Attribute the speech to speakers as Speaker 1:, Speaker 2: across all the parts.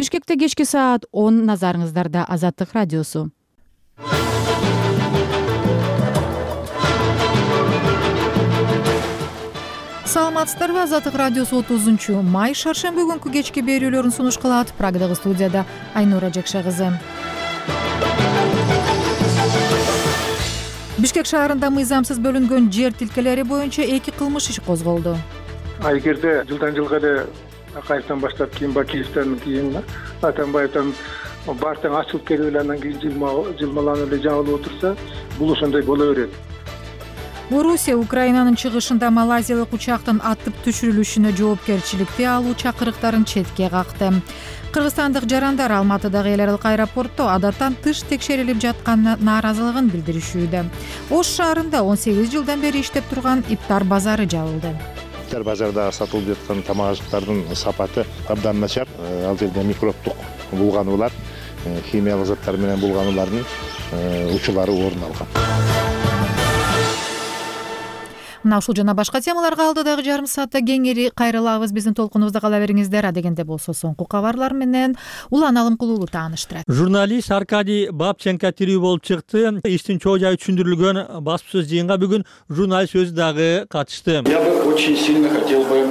Speaker 1: Бишкекте кечки саат 10 назарыңыздарда Азаттык радиосу. Саламатсыздарбы? Азаттык радиосу 30-май шаршемби күнкү кечки берүүлөрүн сунуш кылат. Прагдагы студияда Айнура Жакша кызы. Бишкек шаарында мыйзамсыз бөлүнгөн жер тилкелери боюнча 2 кылмыш иши козголду.
Speaker 2: Айгерде жылдан жылга эле Акаевден баштап кийин Бакиевден кийин Атамбаевден бартаң ачылып келип эле андан кийин жылмаланып эле жабылып отурса, бул ошондой боло берет.
Speaker 1: Орусия Украинанын чыгышында малайзиялык учактын атып түшүрүлүшүнө жоопкерчиликти алуу чакырыктарын четке какты. Кыргызстандык жарандар Алматыдагы эл аралык аэропортто адаттан тыш текшерилип жатканына нааразылыгын билдиришүүдө. Ош шаарында 18 жылдан бери иштеп турган ифтар базары жабылды.
Speaker 3: Ифтар базарда сатылып жаткан тамак-аштардын сапаты абдан начар. Ал жерде микробдук булгануулар, химиялык заттар менен булгануулардын учурлары орун алган.
Speaker 1: Мына ушул жана башка темаларга алдыдагы жарым саатта кеңири кайрылабыз. Биздин толкунубузда кала бериңиздер. Адегенде болсо соңку кабарлар менен Улан Алымкулуулу тааныштырат.
Speaker 4: Журналист Аркадий Бабченко тирүү болуп чыкты. Иштин чоо жайы түшүндүрүлгөн баспасөз жыйынга бүгүн журналист өзү дагы катышты.
Speaker 5: Я бы очень сильно хотел бы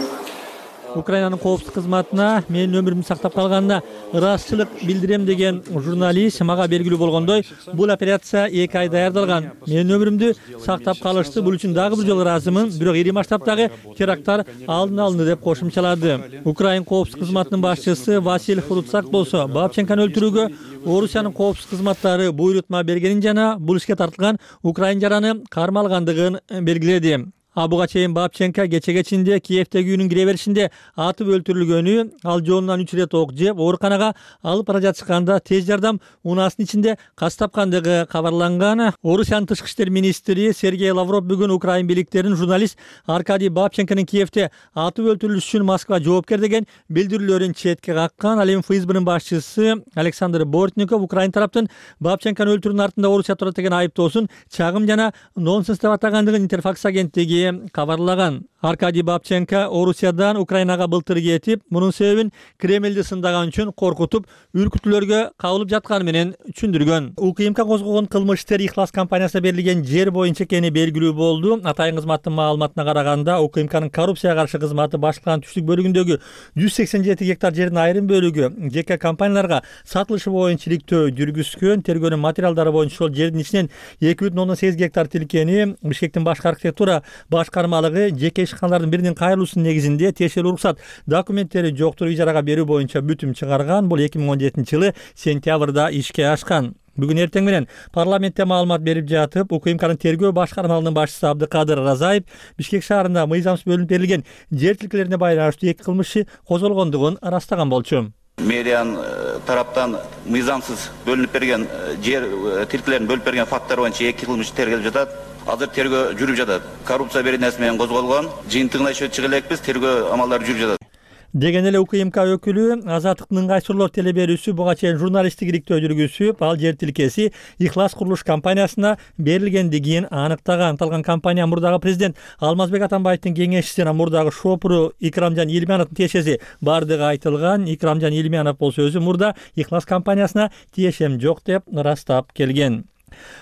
Speaker 4: Украинанын коопсуздук кызматына менин өмүрүмдү сактап калганына ыраазычылык билдирем деген журналист мага белгилүү болгондой, бул операция 2 ай даярдалган. Менин өмүрүмдү сактап калышты. Бул үчүн дагы бир жолу ыраазымын. Бирок ири масштабтагы теракттар алдын алынды деп кошумчалады. Украин коопсуздук кызматынын башчысы Василий Фруцак болсо Бабченкону өлтүрүүгө Орусиянын коопсуздук кызматтары буйрутма бергенин жана бул ишке тартылган украин жараны кармалгандыгын белгиледи. Буга чейин Бабченко кечеге чейин Киевдеги үйүнүн кире беришинде атып өлтүрүлгөнү, ал жонунан 3 рет ок жеп, ооруканага алып бара жатышканда тез жардам унаасынын ичинде каз тапкандыгы кабарланган. Орусиянын тышкы иштер министри Сергей Лавров бүгүн Украин бийликтерин журналист Аркадий Бабченконун Киевде атып өлтүрүлүшү үчүн Москва жоопкер деген билдирүүлөрүн четке каккан. Ал эми ФСБнын башчысы Александр Бортников Украин тараптын Бабченкону өлтүрүүнүн артында Орусия турат деген айыптоосун чагым жана нонсенс деп атагандыгын Интерфакс агенттиги кабарлаган. Аркадий Бабченко Орусиядан Украинага былтыр кетип, мунун себебин Кремлди сындаган үчүн коркутуп, үркүтүүлөргө кабылып жатканы менен түшүндүргөн. УКМК козгогон кылмыш иштер Ихлас компаниясына берилген жер боюнча экени белгилүү болду. Атайын кызматтын маалыматына караганда, УКМКнын коррупцияга каршы кызматы башкарманын түштүк бөлүгүндөгү 187 гектар жердин айрым бөлүгү жеке компанияларга сатылышы боюнча иликтөө жүргүзгөн. Тергөөнүн материалдары боюнча ошол жердин ичинен 2,8 гектар тилкени Бишкектин башкы архитектура башкармалыгы жеке ишканалардын биринин кайрылуусунун негизинде тиешелүү уруксат документтери жоктур ижарага берүү боюнча бүтүм чыгарган. Бул 2017-жылы сентябрда ишке ашкан. Бүгүн эртең менен парламентте маалымат берип жатып, УКМКнын тергөө башкармалыгынын башчысы Абдыкадыр Разаев Бишкек шаарында мыйзамсыз бөлүнүп берилген жер тилкелерине байланыштуу 2 кылмыш козголгондугун ырастаган болчу.
Speaker 6: Мэриянын тараптан мыйзамсыз бөлүнүп берген жер тилкелерин бөлүп берген факттар боюнча 2 кылмыш тергелип жатат. Азыр тергөө жүрүп жатат. Коррупция беренеси менен козголгон. Жыйынтыгына иши чыга элекпиз, тергөө амалдары жүрүп жатат.
Speaker 4: Деген эле УКМК өкүлү Азаттыктын ыңгайсырлоо теле берүүсү буга чейин журналисттик иликтөө жүргүзүп, ал жер тилкеси Ихлас курулуш компаниясына берилгендигин аныктаган. Аталган компания мурдагы президент Алмазбек Атамбаевдин кеңешчиси жана мурдагы шопуру Икрамжан Илмановдун тиешеси бардыгы айтылган. Икрамжан Илманов болсо өзү мурда Ихлас компаниясына тиешем жок деп ырастап келген.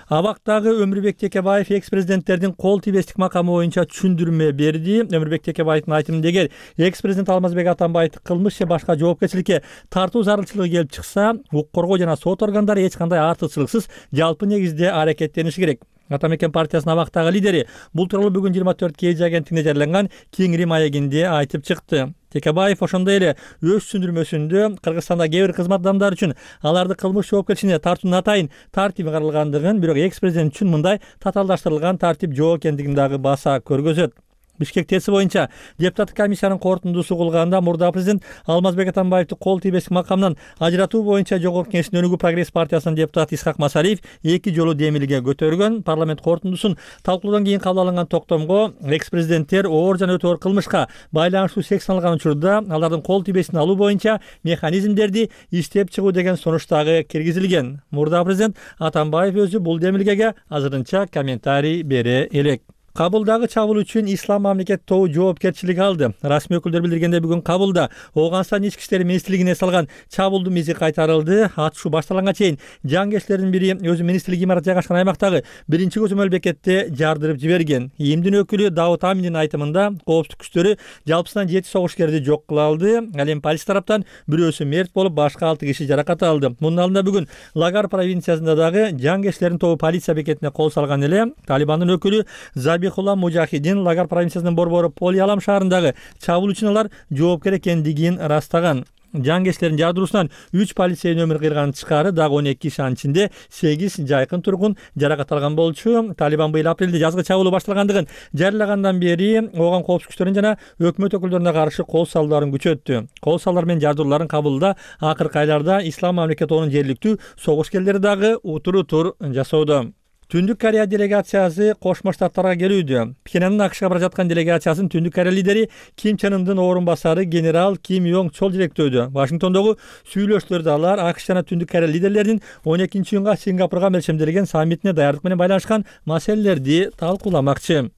Speaker 4: Абактагы Өмүрбек Текебаев экс-президенттердин кол тийбестик макамы боюнча түшүндүрмө берди. Өмүрбек Текебаевдин айтымында эгер экс-президент Алмазбек Атамбаевди кылмыш же башка жоопкерчиликке тартуу зарылчылыгы келип чыкса, укук коргоо жана сот органдары эч кандай артыкчылыксыз жалпы негизде аракеттениши керек. Атамекен партиясынын абактагы лидери бул тууралуу бүгүн 24 KG агенттигине жарыяланган Кеңири маегинде айтып чыкты. Текебаев ошондой эле өз түшүндүрмөсүндө Кыргызстанда кээ бир кызмат адамдары үчүн аларды кылмыш жоопкерчилигине тартуунун атайын тартиби каралгандыгын, бирок экс-президент үчүн мындай татаалдаштырылган тартип жок экендигин дагы баса көргөзөт. Бишкек ТЭСи боюнча депутаттык комиссиянын корутундусу кылганда мурда президент Алмазбек Атамбаевди кол тийбестик макамдан ажыратуу боюнча Жогорку Кеңештин Өнүгүү прогресс партиясынын депутаты Исхак Масалиев 2 жолу демилге көтөргөн. Парламент корутундусун талкуулоодон кийин кабыл алынган токтомго экс-президенттер оор жана өтө оор кылмышка байланыштуу саналган учурда алардын кол тийбестин алуу боюнча механизмдерди иштеп чыгуу деген сунуш дагы киргизилген. Мурда президент Атамбаев өзү бул демилгеге азырынча комментарий бере элек. Кабулдагы чабуул үчүн Ислам мамлекет тобу жоопкерчилик алды. Расмий өкүлдөр билдиргендей, бүгүн Кабулда Ооганстан ички иштер министрлигине салган чабуулдун изи кайтарылды. Атышуу башталганга чейин жангерчилердин бири өзү министрлик имараты жайгашкан аймактагы биринчи көзөмөл бекетте жардырып жиберген. ИИМдин өкүлү Давут Аминдин айтымында коопсуздук күчтөрү жалпысынан 7 согушкерди жок кыла алды. Ал эми полиция тараптан бирөөсү мерт болуп, башка 6 киши жаракат алды. Мунун алдында бүгүн Лагар провинциясында дагы жангерчилердин тобу полиция бекетине кол салган эле. Талибандын өкүлү Забихулла Мужахидин Лагар провинциясынын борбору Полиалам шаарындагы чабуул үчүн алар жоопкер экендигин ырастаган. Жангерчилердин жардыруусунан 3 полицейдин өмүрүн кыйрган тышкары дагы 12 киши, анын ичинде 8 жайкын тургун жаракат алган болчу. Талибан быйыл апрелде жазгы чабуулу башталгандыгын жарыялагандан бери ооган коопсуздук күчтөрүн жана өкмөт өкүлдөрүнө каршы кол салууларын күчөттү. Кол салуулар менен жардырууларын Кабулда акыркы айларда Ислам мамлекет тобунун жергиликтүү согушкерлери дагы утур жасоодо. Түндүк Корея делегациясы Кошмо Штаттарга келүүдө. Пхеньяндын АКШга бара жаткан делегациясын Түндүк Корея лидери Ким Чен Ындын орун басары генерал Ким Йонг Чол жетектөөдө. Вашингтондогу сүйлөшүүлөрдө алар АКШ жана Түндүк Корея лидерлеринин 12-июнга Сингапурга мерчемделген саммитине даярдык менен байланышкан маселелерди талкууламакчы.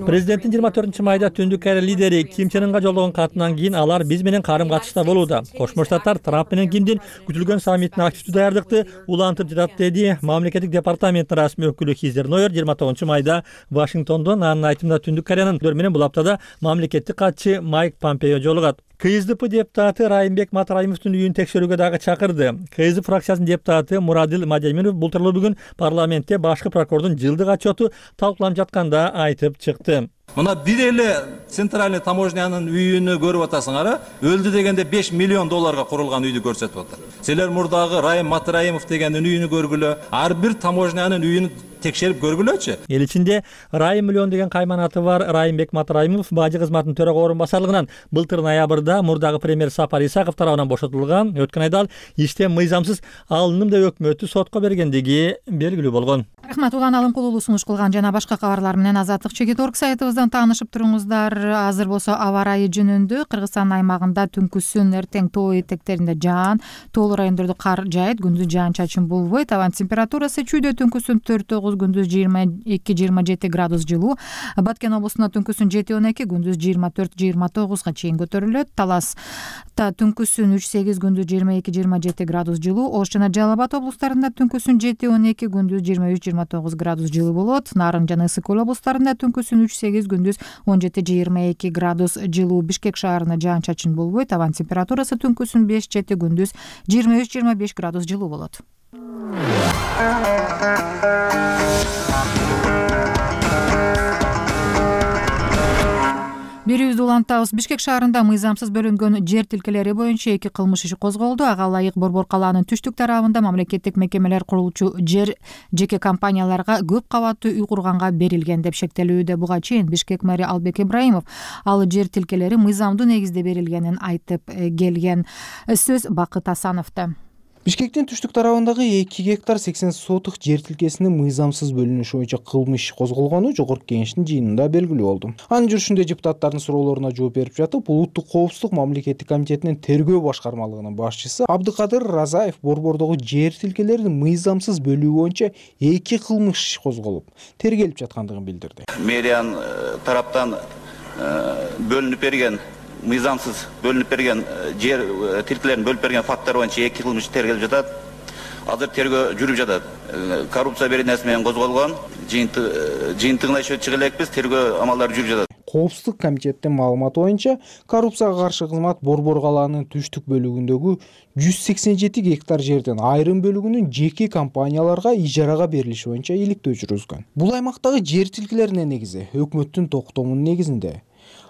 Speaker 4: Президенттин 24-майда Түндүк Корея лидери Ким Чен Ынга жолдогон катынан кийин алар биз менен карым-катышта болууда. Кошмо Штаттар Трамп менен Кимдин күтүлгөн саммитине активдүү даярдыкты улантып жатат деди мамлекеттик департаменттин расмий өкүлү Хизер Нойер 29-майда Вашингтондон. Анын айтымында Түндүк Кореянын менен бул аптада мамлекеттик катчы Майк Помпео жолугат. КСДП депутаты Райымбек Матраимовдун үйүн текшерүүгө дагы чакырды. КСДП фракциясынын депутаты Мурадил Мадемиров бул тууралуу бүгүн парламентте башкы прокурордун жылдык отчету талкууланып жатканда айтып чыкты.
Speaker 7: Мына бир эле центральный таможнянын үйүнү көрүп атасыңар, өлдү дегенде $5 миллион курулган үйдү көрсөтүп атат. Силер мурдагы Райым Матраимов дегендин үйүнү көргүлө, ар бир таможнянын үйүн текшерип көргүлөчү. Эл
Speaker 4: ичинде Райым миллион деген кайманаты бар Райымбек Матраимов бажы кызматынын төрага орун басарлыгынан былтыр ноябрда мурдагы премьер Сапар Исаков тарабынан бошотулган. Өткөн айда ал иштен мыйзамсыз алыным деп өкмөтү сотко бергендиги белгилүү болгон.
Speaker 1: Рахмат, Улан Алымкулуулу сунуш кылган жана башка кабарлар менен Азаттык Чекит.org сайтыбыздан таанышып туруңуздар. Азыр болсо аба ырайы жөнүндө Кыргызстан аймагында түнкүсүн эртең тоо этектеринде жаан, тоолуу райондордо кар жаайт, күндүз жаан-чачын болбойт. Абан температурасы чүйдө түнкүсүн 4-9, күндүз 22-27 градус жылуу. Баткен облусунда түнкүсүн 7-12, күндүз 24-29 чейин көтөрүлөт. Таласта түнкүсүн 3-8, күндүз 22-27 градус жылуу. Ош жана Жалал Абад облустарында түнкүсүн 7-12, күндүз 23-29 градус жылуу болот. Нарын жана Ысык Көл облустарында түнкүсүн 3-8, күндүз 17-22 градус жылуу. Бишкек шаарында жаан-чачын болбойт. Абан температурасы түнкүсүн 5-7, күндүз 23-25 градус жылуу болот. Берүүбүздү улантабыз. Бишкек шаарында мыйзамсыз бөлүнгөн жер тилкелери боюнча 2 кылмыш иши козголду. Ага ылайык Борбор калаанын түштүк тарабында мамлекеттик мекемелер курулуучу жер жеке компанияларга көп кабаттуу үй курганга берилген деп шектелүүдө. Буга чейин Бишкек мэри Албек Ибраимов ал жер тилкелери мыйзамдуу негизде берилгенин айтып келген. Сөз Бакыт Асановдо.
Speaker 8: Бишкектин түштүк тарабындагы 2 гектар 80 сотук жер тилкесинин мыйзамсыз бөлүнүшү боюнча кылмыш козголгону Жогорку Кеңештин жыйынында белгилүү болду. Анын жүрүшүндө депутаттардын суроолоруна жооп берип жатып, Улуттук коопсуздук мамлекеттик комитетинин тергөө башкармалыгынын башчысы Абдыкадыр Разаев борбордогу жер тилкелерин мыйзамсыз бөлүү боюнча 2 кылмыш козголуп, тергелип жаткандыгын билдирди.
Speaker 6: Мэриянын тараптан бөлүнүп берген мыйзамсыз бөлүнүп берген жер тилкелерин бөлүп берген факттар боюнча 2 кылмыш тергелип жатат. Азыр тергөө жүрүп жатат. Коррупция беренеси менен козголгон. Жыйынтыгына чыгып элекпиз, тергөө амалдары жүрүп жатат.
Speaker 8: Коопсуздук комитеттин маалыматы боюнча коррупцияга каршы кызмат Борбор калаанын түштүк бөлүгүндөгү 187 гектар жерден айрым бөлүгүнүн жеке компанияларга ижарага берилиши боюнча иликтөө жүргүзгөн. Бул аймактагы жер тилкелерине негизи өкмөттүн токтомунун негизинде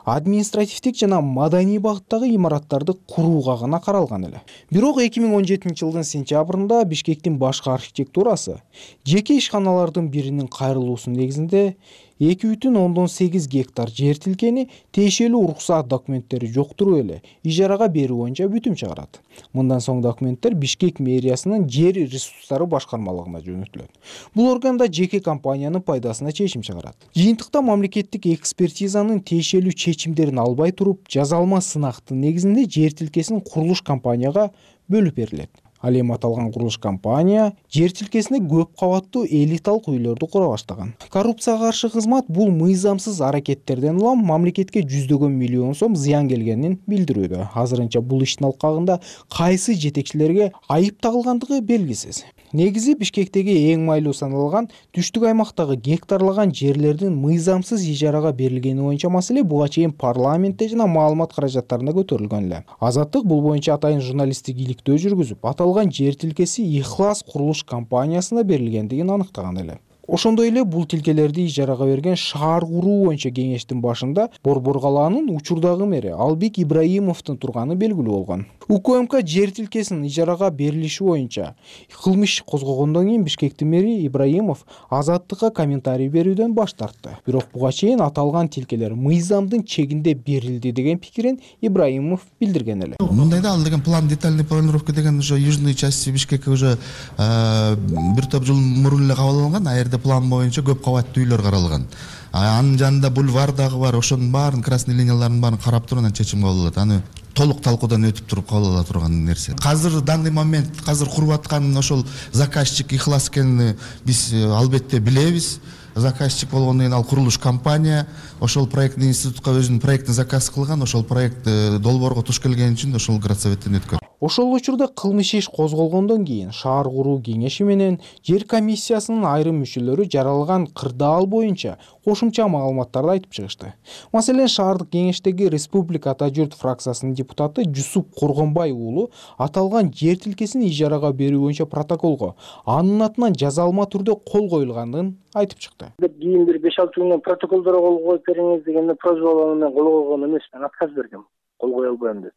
Speaker 8: административдик жана маданий багыттагы имараттарды курууга гана каралган эле. Бирок 2017 жылдын сентябрында Бишкектин башкы архитектурасы жеке ишканалардын биринин кайрылуусунун негизинде 2,8 гектар жер тилкени тиешелүү уруксаат документтери жоктуруп эле ижарага берүү боюнча бүтүм чыгарат. Мындан соң документтер Бишкек мэриясынын жер ресурстары башкармалыгына жөнөтүлөт. Бул органда жеке компаниянын пайдасына чечим чыгарат. Жыйынтыкта мамлекеттик экспертизанын тиешелүү чечимдерин албай туруп, жазалма сынактын негизинде жер тилкесин курулуш компанияга бөлүп берилет. Ал эми аталган курулуш компания жер тилкесине көп кабаттуу элиталык үйлөрдү кура баштаган. Коррупцияга каршы кызмат бул мыйзамсыз аракеттерден улам мамлекетке жүздөгөн миллион сом зыян келгенин билдирүүдө. Азырынча бул иштин алкагында кайсы жетекчилерге айып тагылгандыгы белгисиз. Негизи Бишкектеги эң майлуу саналган түштүк аймактагы гектарлаган жерлердин мыйзамсыз ижарага берилгени боюнча маселе буга чейин парламентте жана маалымат каражаттарында көтөрүлгөн эле. Азаттык бул боюнча атайын журналисттик иликтөө жүргүзүп, аталган жер тилкеси Ихлас курулуш компаниясына берилгендигин аныктаган эле. Ошондой эле бул тилкелерди ижарага берген шаар куруу боюнча кеңештин башында Борбор калаанын учурдагы мэри Албек Ибраимовдун турганы белгилүү болгон. УКМК жер тилкесинин ижарага берилиши боюнча кылмыш козгогондон кийин Бишкектин мэри Ибраимов Азаттыкка комментарий берүүдөн баш тартты. Бирок буга чейин аталган тилкелер мыйзамдын чегинде берилди деген пикирин Ибраимов билдирген эле.
Speaker 9: Мындайда ал деген план детальный планировка деген уже южный части Бишкекке уже бир топ жыл мурун эле кабыл алынган. Аерде план боюнча көп кабаттуу үйлөр каралган. Анын жанында бульвар дагы бар. Ошонун баарын красный линияларын баарын карап туруп анан чечим кабыл алат. Аны толук талкуудан өтүп туруп кабыл ала турган нерсе. Азыр данный момент куруп аткан ошол заказчик Ихлас экенин биз албетте билебиз. Заказчик болгондон кийин ал курулуш компания ошол проектный институтка өзүнүн проектин заказ кылган. Ошол проект долбоорго туш келген үчүн ошол градсоветтен өткөн.
Speaker 8: Ошол учурда кылмыш иш козголгондон кийин шаар куруу кеңеши менен жер комиссиясынын айрым мүчөлөрү жаралган кырдаал боюнча кошумча маалыматтарды айтып чыгышты. Маселен, шаардык кеңештеги Республика Ата журт фракциясынын депутаты Жусуп Коргонбай уулу аталган жер тилкесин ижарага берүү боюнча протоколго анын атынан жазалма түрдө кол коюлганын айтып чыкты.
Speaker 2: Кийин бир 5-6 күндөн протоколдорго кол коюп бериңиз дегенде просьба менен кол койгон эмес, мен отказ бергем. Кол кое албайм деп.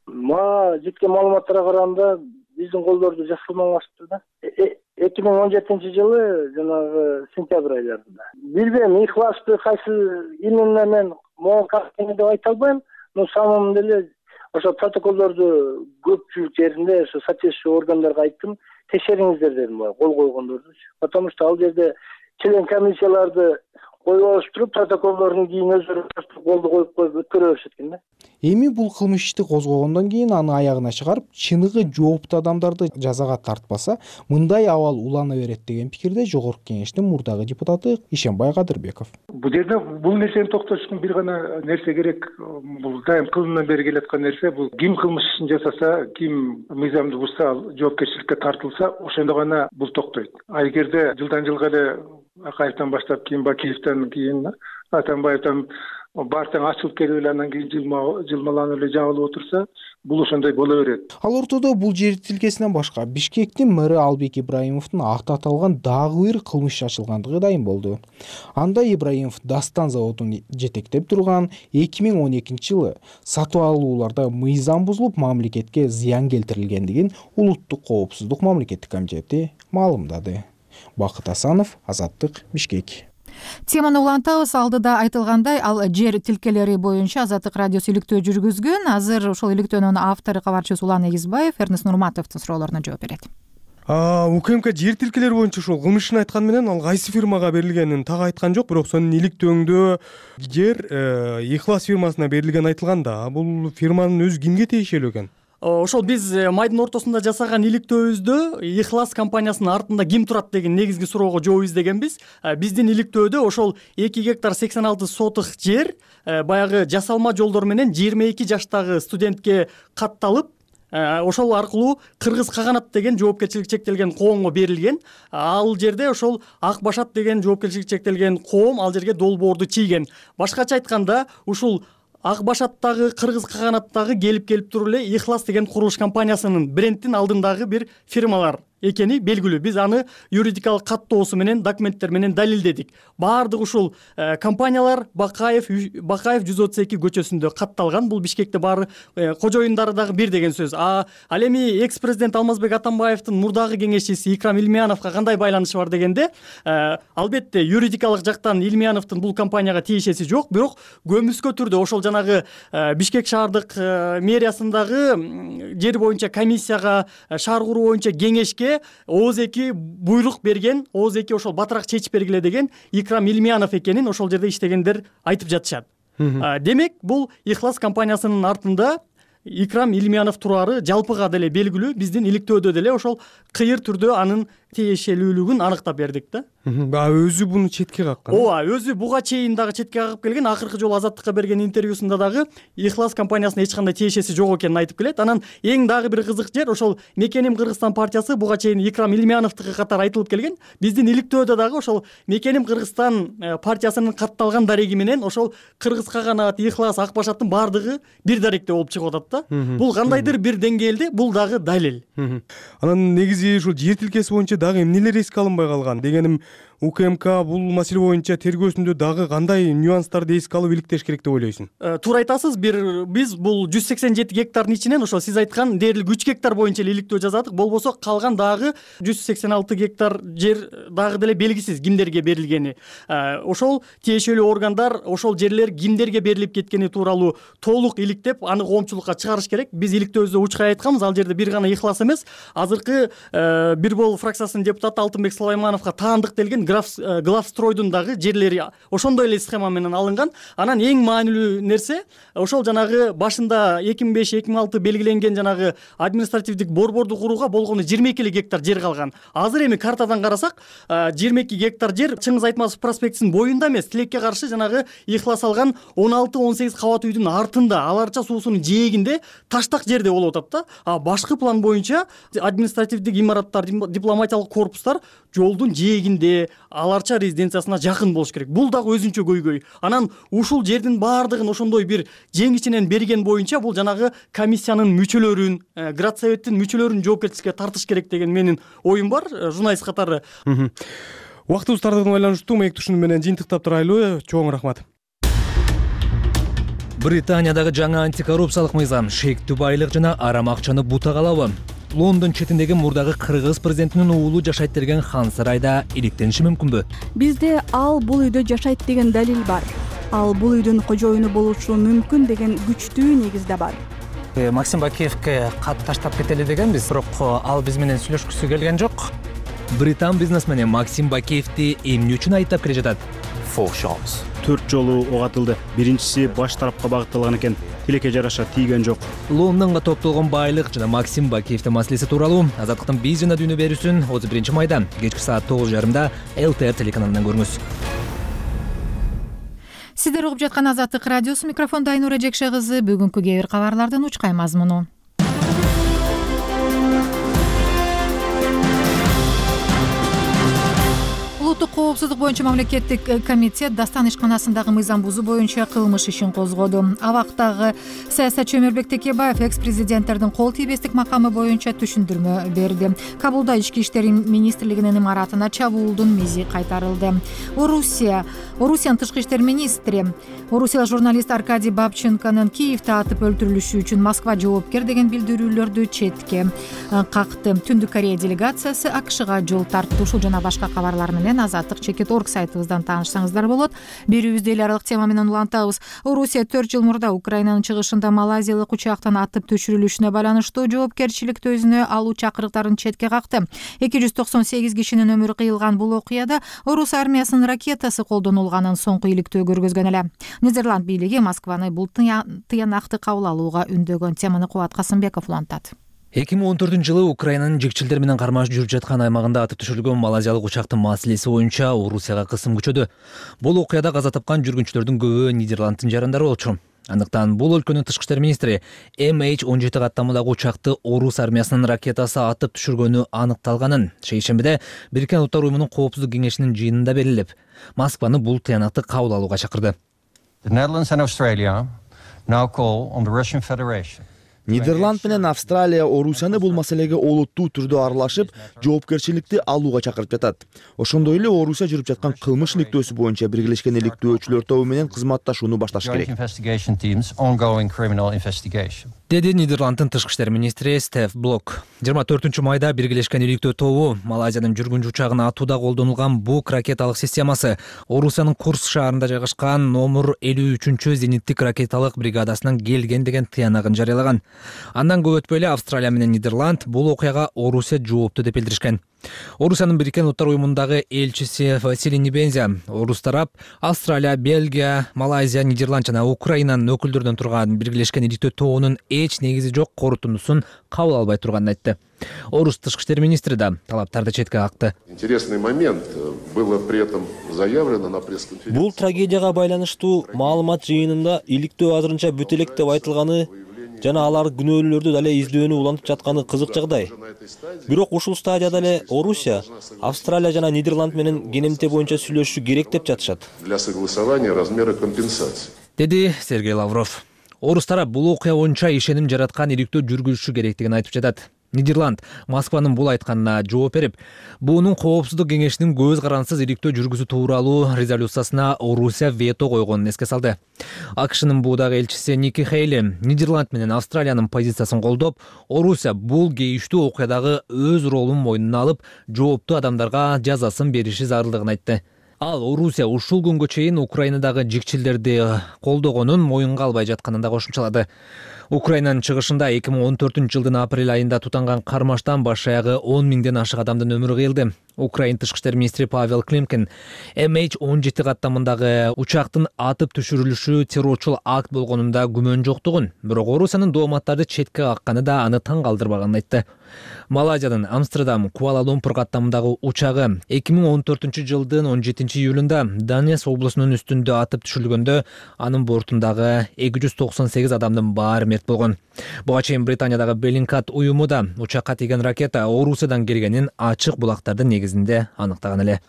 Speaker 2: Жеткен маалыматтарга караганда биздин колдорду жасалмаңашты да. 2017-жылы жанагы сентябрь айларында. Билбейм, Ихласты кайсы именно мен могу кантени деп айта албайм, но самом деле ошо протоколдорду көпчүлүк жеринде ошо соответствующий органдарга айттым, текшериңиздер дедим, кол койгондорду. Потому что ал жерде член комиссияларды коюп туруп протоколдорун кийин өзүрө колду коюп өткөрө беришет экен да.
Speaker 8: Эми бул кылмыш ишти козгогондон кийин аны аягына чыгарып, чыныгы жооптуу адамдарды жазага тартпаса, мындай абал улана берет деген пикирде Жогорку кеңештин мурдагы депутаты Ишенбай Кадырбеков.
Speaker 2: Бул жерде бул нерсени токтош үчүн бир гана нерсе керек. Бул дайым кылымдан бери келаткан нерсе. Бул ким кылмыш ишин жасаса, ким мыйзамды бузса, жоопкерчиликке тартылса, ошондо гана бул токтойт. А эгерде жылдан жылга эле Акаевден баштап кийин Бакиевден кийин Атамбаевден бартаң ачылып келип эле андан кийин жылмаланып эле жабылып отурса, бул ошондой боло берет.
Speaker 8: Ал ортодо бул жер тилкесинен башка Бишкектин мэри Албек Ибраимовдун аты аталган дагы бир кылмыш ачылгандыгы дайым болду. Анда Ибраимов Дастан заводун жетектеп турган 2012-жылы сатып алууларда мыйзам бузулуп, мамлекетке зыян келтирилгендигин Улуттук коопсуздук мамлекеттик комитети маалымдады. Бакыт Асанов, Азаттык, Бишкек.
Speaker 1: Теманы улантабыз. Алдыда айтылгандай, ал жер тилкелери боюнча Азаттык радиосу иликтөө жүргүзгөн. Азыр ошол иликтөөнүн автору кабарчыбыз Улан Эгизбаев Эрнест Нурматовдун суроолоруна жооп берет.
Speaker 10: УКМК жер тилкелери боюнча ошол кылмышын айткан менен ал кайсы фирмага берилгенин так айткан жок, бирок сонун иликтөөңдө жер Ихлас фирмасына берилгени айтылган да. Бул фирманын өзү кимге тиешелүү экен?
Speaker 11: Ошол биз майдын ортосунда жасаган иликтөөбүздө Ихлас компаниясынын артында ким турат деген негизги суроого жооп издегенбиз. Биздин иликтөөдө ошол 2 гектар 86 сотых жер баягы жасалма жолдор менен 22 жаштагы студентке катталып, ошол аркылуу Кыргыз Каганат деген жоопкерчилиги чектелген коомго берилген. Ал жерде ошол Ак Башат деген жоопкерчилиги чектелген коом ал жерге долбоорду чийген. Башкача айтканда, ушул Ак Башаттагы, Кыргыз Каганаттагы келип туруп эле Ихлас деген курулуш компаниясынын брендтин алдындагы бир фирмалар экени белгилүү. Биз аны юридикалык каттоосу менен, документтер менен далилдедик. Баардык ушул компаниялар Бакаев 132 көчөсүндө катталган. Бул Бишкекте баары кожоюндары дагы бир деген сөз. Ал эми экс-президент Алмазбек Атамбаевдин мурдагы кеңешчиси Икрам Илмияновго кандай байланышы бар дегенде, албетте юридикалык жактан Илмияновдун бул компанияга тиешеси жок, бирок көмүскө түрдө ошол жанагы Бишкек шаардык мэриясындагы жер боюнча комиссияга, шаар куруу боюнча кеңешке ооз-2 буйрук берген, ооз-2 ошол батыраак чечип бергиле деген Икрам Илмиянов экенин ошол жерде иштегендер айтып жатышат. Демек, бул Ихлас компаниясынын артында Икрам Илмиянов турары жалпыга деле белгилүү, биздин иликтөөдө деле ошол кыйыр түрдө анын тиешелүүлүгүн аныктап бердик да.
Speaker 10: Өзү буну четке каккан.
Speaker 11: Ооба, өзү буга чейин дагы четке кагып келген, акыркы жолу Азаттыкка берген интервьюсунда дагы Ихлас компаниясына эч кандай тиешеси жок экенин айтып келет. Анан эң дагы бир кызык жер, ошол Мекеним Кыргызстан партиясы буга чейин Икрам Илмияновдуку катары айтылып келген. Биздин иликтөөдө дагы ошол Мекеним Кыргызстан партиясынын катталган дареги менен ошол Кыргыз Каганат, Ихлас, Ак Башаттын баардыгы бир даректе болуп чыгып атат да. Бул кандайдыр бир деңгээлде бул дагы далил.
Speaker 10: Анан негизи ушул жер тилкеси боюнча дагы эмнелер эске алынбай калган? Дегеним, УКМК бул маселе боюнча тергөөсүндө дагы кандай нюанстарды эске алып иликтеш керек деп ойлойсуң?
Speaker 11: Туура айтасыз. Биз бул 187 гектардын ичинен ошол сиз айткан дээрлик 3 гектар боюнча эле иликтөө жазадык. Болбосо калган дагы 186 гектар жер дагы деле белгисиз кимдерге берилгени. Ошол тиешелүү органдар ошол жерлер кимдерге берилип кеткени тууралуу толук иликтеп, аны коомчулукка чыгарыш керек. Биз иликтөөбүздө учкай айтканбыз, ал жерде бир гана Ихлас эмес, азыркы Бир Бол фракциясынын депутаты Алтынбек Сулаймановго таандык делген Главстройдун дагы жерлери ошондой эле схема менен алынган. Анан эң маанилүү нерсе, ошол жанагы башында 2005-2006 белгиленген жанагы административдик борборду курууга болгону 22 эле гектар жер калган. Азыр эми картадан карасак, 22 гектар жер Чыңгыз Айтматов проспектисинин боюнда эмес, тилекке каршы жанагы Ихлас алган 16-18 кабат үйдүн артында, Аларча суусунун жээгинде таштак жерде болуп атат да. А башкы план боюнча административдик имараттар, дипломатиялык корпустар жолдун жээгинде, Аларча резиденциясына жакын болуш керек. Бул дагы өзүнчө көйгөй. Анан ушул жердин баардыгын ошондой бир жеңичинен берген боюнча бул жанагы комиссиянын мүчөлөрүн, градсоветтин мүчөлөрүн жоопкерчиликке тартыш керек деген менин оюм бар, журналист катары.
Speaker 10: Убактыбыз тардыгына байланыштуу маек тушуну менен жыйынтыктап турайлы. Чоң рахмат.
Speaker 12: Британиядагы жаңа антикоррупциялык мыйзам шектүү байлык жана арам акчаны бутагалабы? Лондон четиндеги мурдагы кыргыз президентинин уулу жашайт деген хан сарайда иликтениши мүмкүнбү?
Speaker 13: Бизде ал бул үйдө жашайт деген далил бар. Ал бул үйдүн кожоюну болушу мүмкүн деген күчтүү негиз да бар.
Speaker 14: Максим Бакиевке кат таштап кетели дегенбиз, бирок ал биз менен сүйлөшкүсү келген жок.
Speaker 12: Британ бизнесмени Максим Бакиевди эмне үчүн айыптап келе жатат?
Speaker 15: 4 жолу ок атылды. Биринчиси баш тарапка багытталган экен. Тилекке жараша тийген жок.
Speaker 12: Лондонго топтолгон байлык жана Максим Бакиевдин маселеси тууралуу Азаттыктын биз жана дүйнө берүүсүн 31 майда кечки саат 9:30 ЛТР телеканалынан көрүңүз.
Speaker 1: Сиздер угуп жаткан Азаттык радиосу, микрофондо Айнура Жекше кызы. Бүгүнкү кээ бир кабарлардын учкай мазмуну. Улуттук коопсуздук боюнча мамлекеттик комитет Дастан ишканасындагы мыйзам бузуу боюнча кылмыш ишин козгоду. Абактагы саясатчы Өмүрбек Текебаев экс-президенттердин кол тийбестик макамы боюнча түшүндүрмө берди. Кабулда ички иштер министрлигинин имаратына чабуулдун мизи кайтарылды. Орусиянын тышкы иштер министри орусиялык журналист Аркадий Бабченконун Киевде атып өлтүрүлүшү үчүн Москва жоопкер деген билдирүүлөрдү четке какты. Түндүк Корея делегациясы АКШга жол тартты. Ушул жана башка кабарлар менен Азаттык.org сайтыбыздан таанышсаңыздар болот. Берүүбүздө эл аралык тема менен улантабыз. Орусия 4 жыл мурда Украинанын чыгышында малайзиялык учактан атып түшүрүлүшүнө байланыштуу жоопкерчиликти өзүнө алуу чакырыктарын четке какты. 298 кишинин өмүрү кыйылган бул окуяда орус армиясынын ракетасы колдонулганын соңку иликтөө көргөзгөн эле. Нидерланд бийлиги Москваны бул тыянакты кабыл алууга үндөгөн. Теманы Кубат Касымбеков улантат.
Speaker 12: 2014-жылы Украинанын жекчилдер менен кармаш жүрүп жаткан аймагында атып түшүрүлгөн малайзиялык учактын маселеси боюнча Орусияга кысым күчөдү. Бул окуяда каза тапкан жүргүнчүлөрдүн көбү Нидерланддын жарандары болчу. Андыктан бул өлкөнүн тышкы иштер министри MH17 каттамадагы учакты орус армиясынын ракетасы атып түшүргөнү аныкталганын шейшембиде Бириккен Улуттар уюмунун коопсуздук кеңешинин жыйынында белгилеп, Москваны бул тыянакты кабыл алууга чакырды.
Speaker 16: Нидерланд менен Австралия Орусияны бул маселеге олуттуу түрдө аралашып, жоопкерчиликти алууга чакырып жатат. Ошондой эле Орусия жүрүп жаткан кылмыш иликтөөсү боюнча биргелешкен иликтөөчүлөр тобу менен кызматташууну башташ керек.
Speaker 12: Деди Нидерланддын тышкы иштер министри Стеф Блок. 24 майда биргелешкен иликтөө тобу Малайзиянын жүргүнчү учагына атууда колдонулган бук ракеталык системасы Орусиянын Курск шаарында жайгашкан номер 53 зениттик ракеталык бригадасынан келген деген тыянагын жарыялаган. Андан көп өтпөй эле Австралия менен Нидерланд бул окуяга Орусия жоопту деп билдиришкен. Орусиянын Бириккен Улуттар уюмундагы элчиси Василий Небензя орус тарап Австралия, Бельгия, Малайзия, Нидерланд жана Украинанын өкүлдөрүнөн турган биргелешкен иликтөө тобунун эч негизи жок корутундусун кабыл албай турганын айтты. Орус тышкы иштер министри да талаптарды четке какты.
Speaker 17: Интересный момент было при этом заявлено на пресс-конференции.
Speaker 18: Бул трагедияга байланыштуу маалымат жыйынында иликтөө азырынча бүт элек деп айтылганы жана алар күнөөлүүлөрдү дале издөөнү улантып жатканы кызык жагдай. Бирок ушул стадияда эле Орусия, Австралия жана Нидерланд менен КНМТ боюнча сүйлөшүшү керек деп жатышат.
Speaker 17: Для согласования размера компенсации.
Speaker 12: Деди Сергей Лавров. Орус тарап бул окуя боюнча ишеним жараткан иликтөө жүргүзүшү керектигин айтып жатат. Нидерланд Москванын бул айтканына жооп берип, буунун коопсуздук кеңешинин көз карансыз иликтөө жүргүзүү тууралуу резолюциясына Орусия вето койгонун эске салды. АКШнын буудагы элчиси Ники Хейли Нидерланд менен Австралиянын позициясын колдоп, Орусия бул кейиштүү окуядагы өз ролун мойнуна алып, жооптуу адамдарга жазасын бериши зарылдыгын айтты. Ал Орусия ушул күнгө чейин Украинадагы жикчилдерди колдогонун моюнга албай жатканын да кошумчалады. Украинанын чыгышында 2014-жылдын апрель айында тутанган кармаштан баш аягы 10 миңден ашык адамдын өмүрү кыйылды. Украин тышкы иштер министри Павел Климкин MH17 каттамындагы учактын атып түшүрүлүшү террорчул акт болгонунда күмөн жоктугун, бирок Орусиянын дооматтарды четке какканы да аны таң калтырбаганын айтты. Малайзиянын Амстердам Куала-Лумпур каттамындагы учагы 2014-жылдын 17-июлунда Данес облусунун үстүндө атып түшүрүлгөндө анын бортундагы 298 адамдын баары мерт болгон. Буга чейин Британиядагы Беллингкат уюму да учакка тийген ракета Орусиядан келгенин ачык булактардын негизинде аныктаган эле.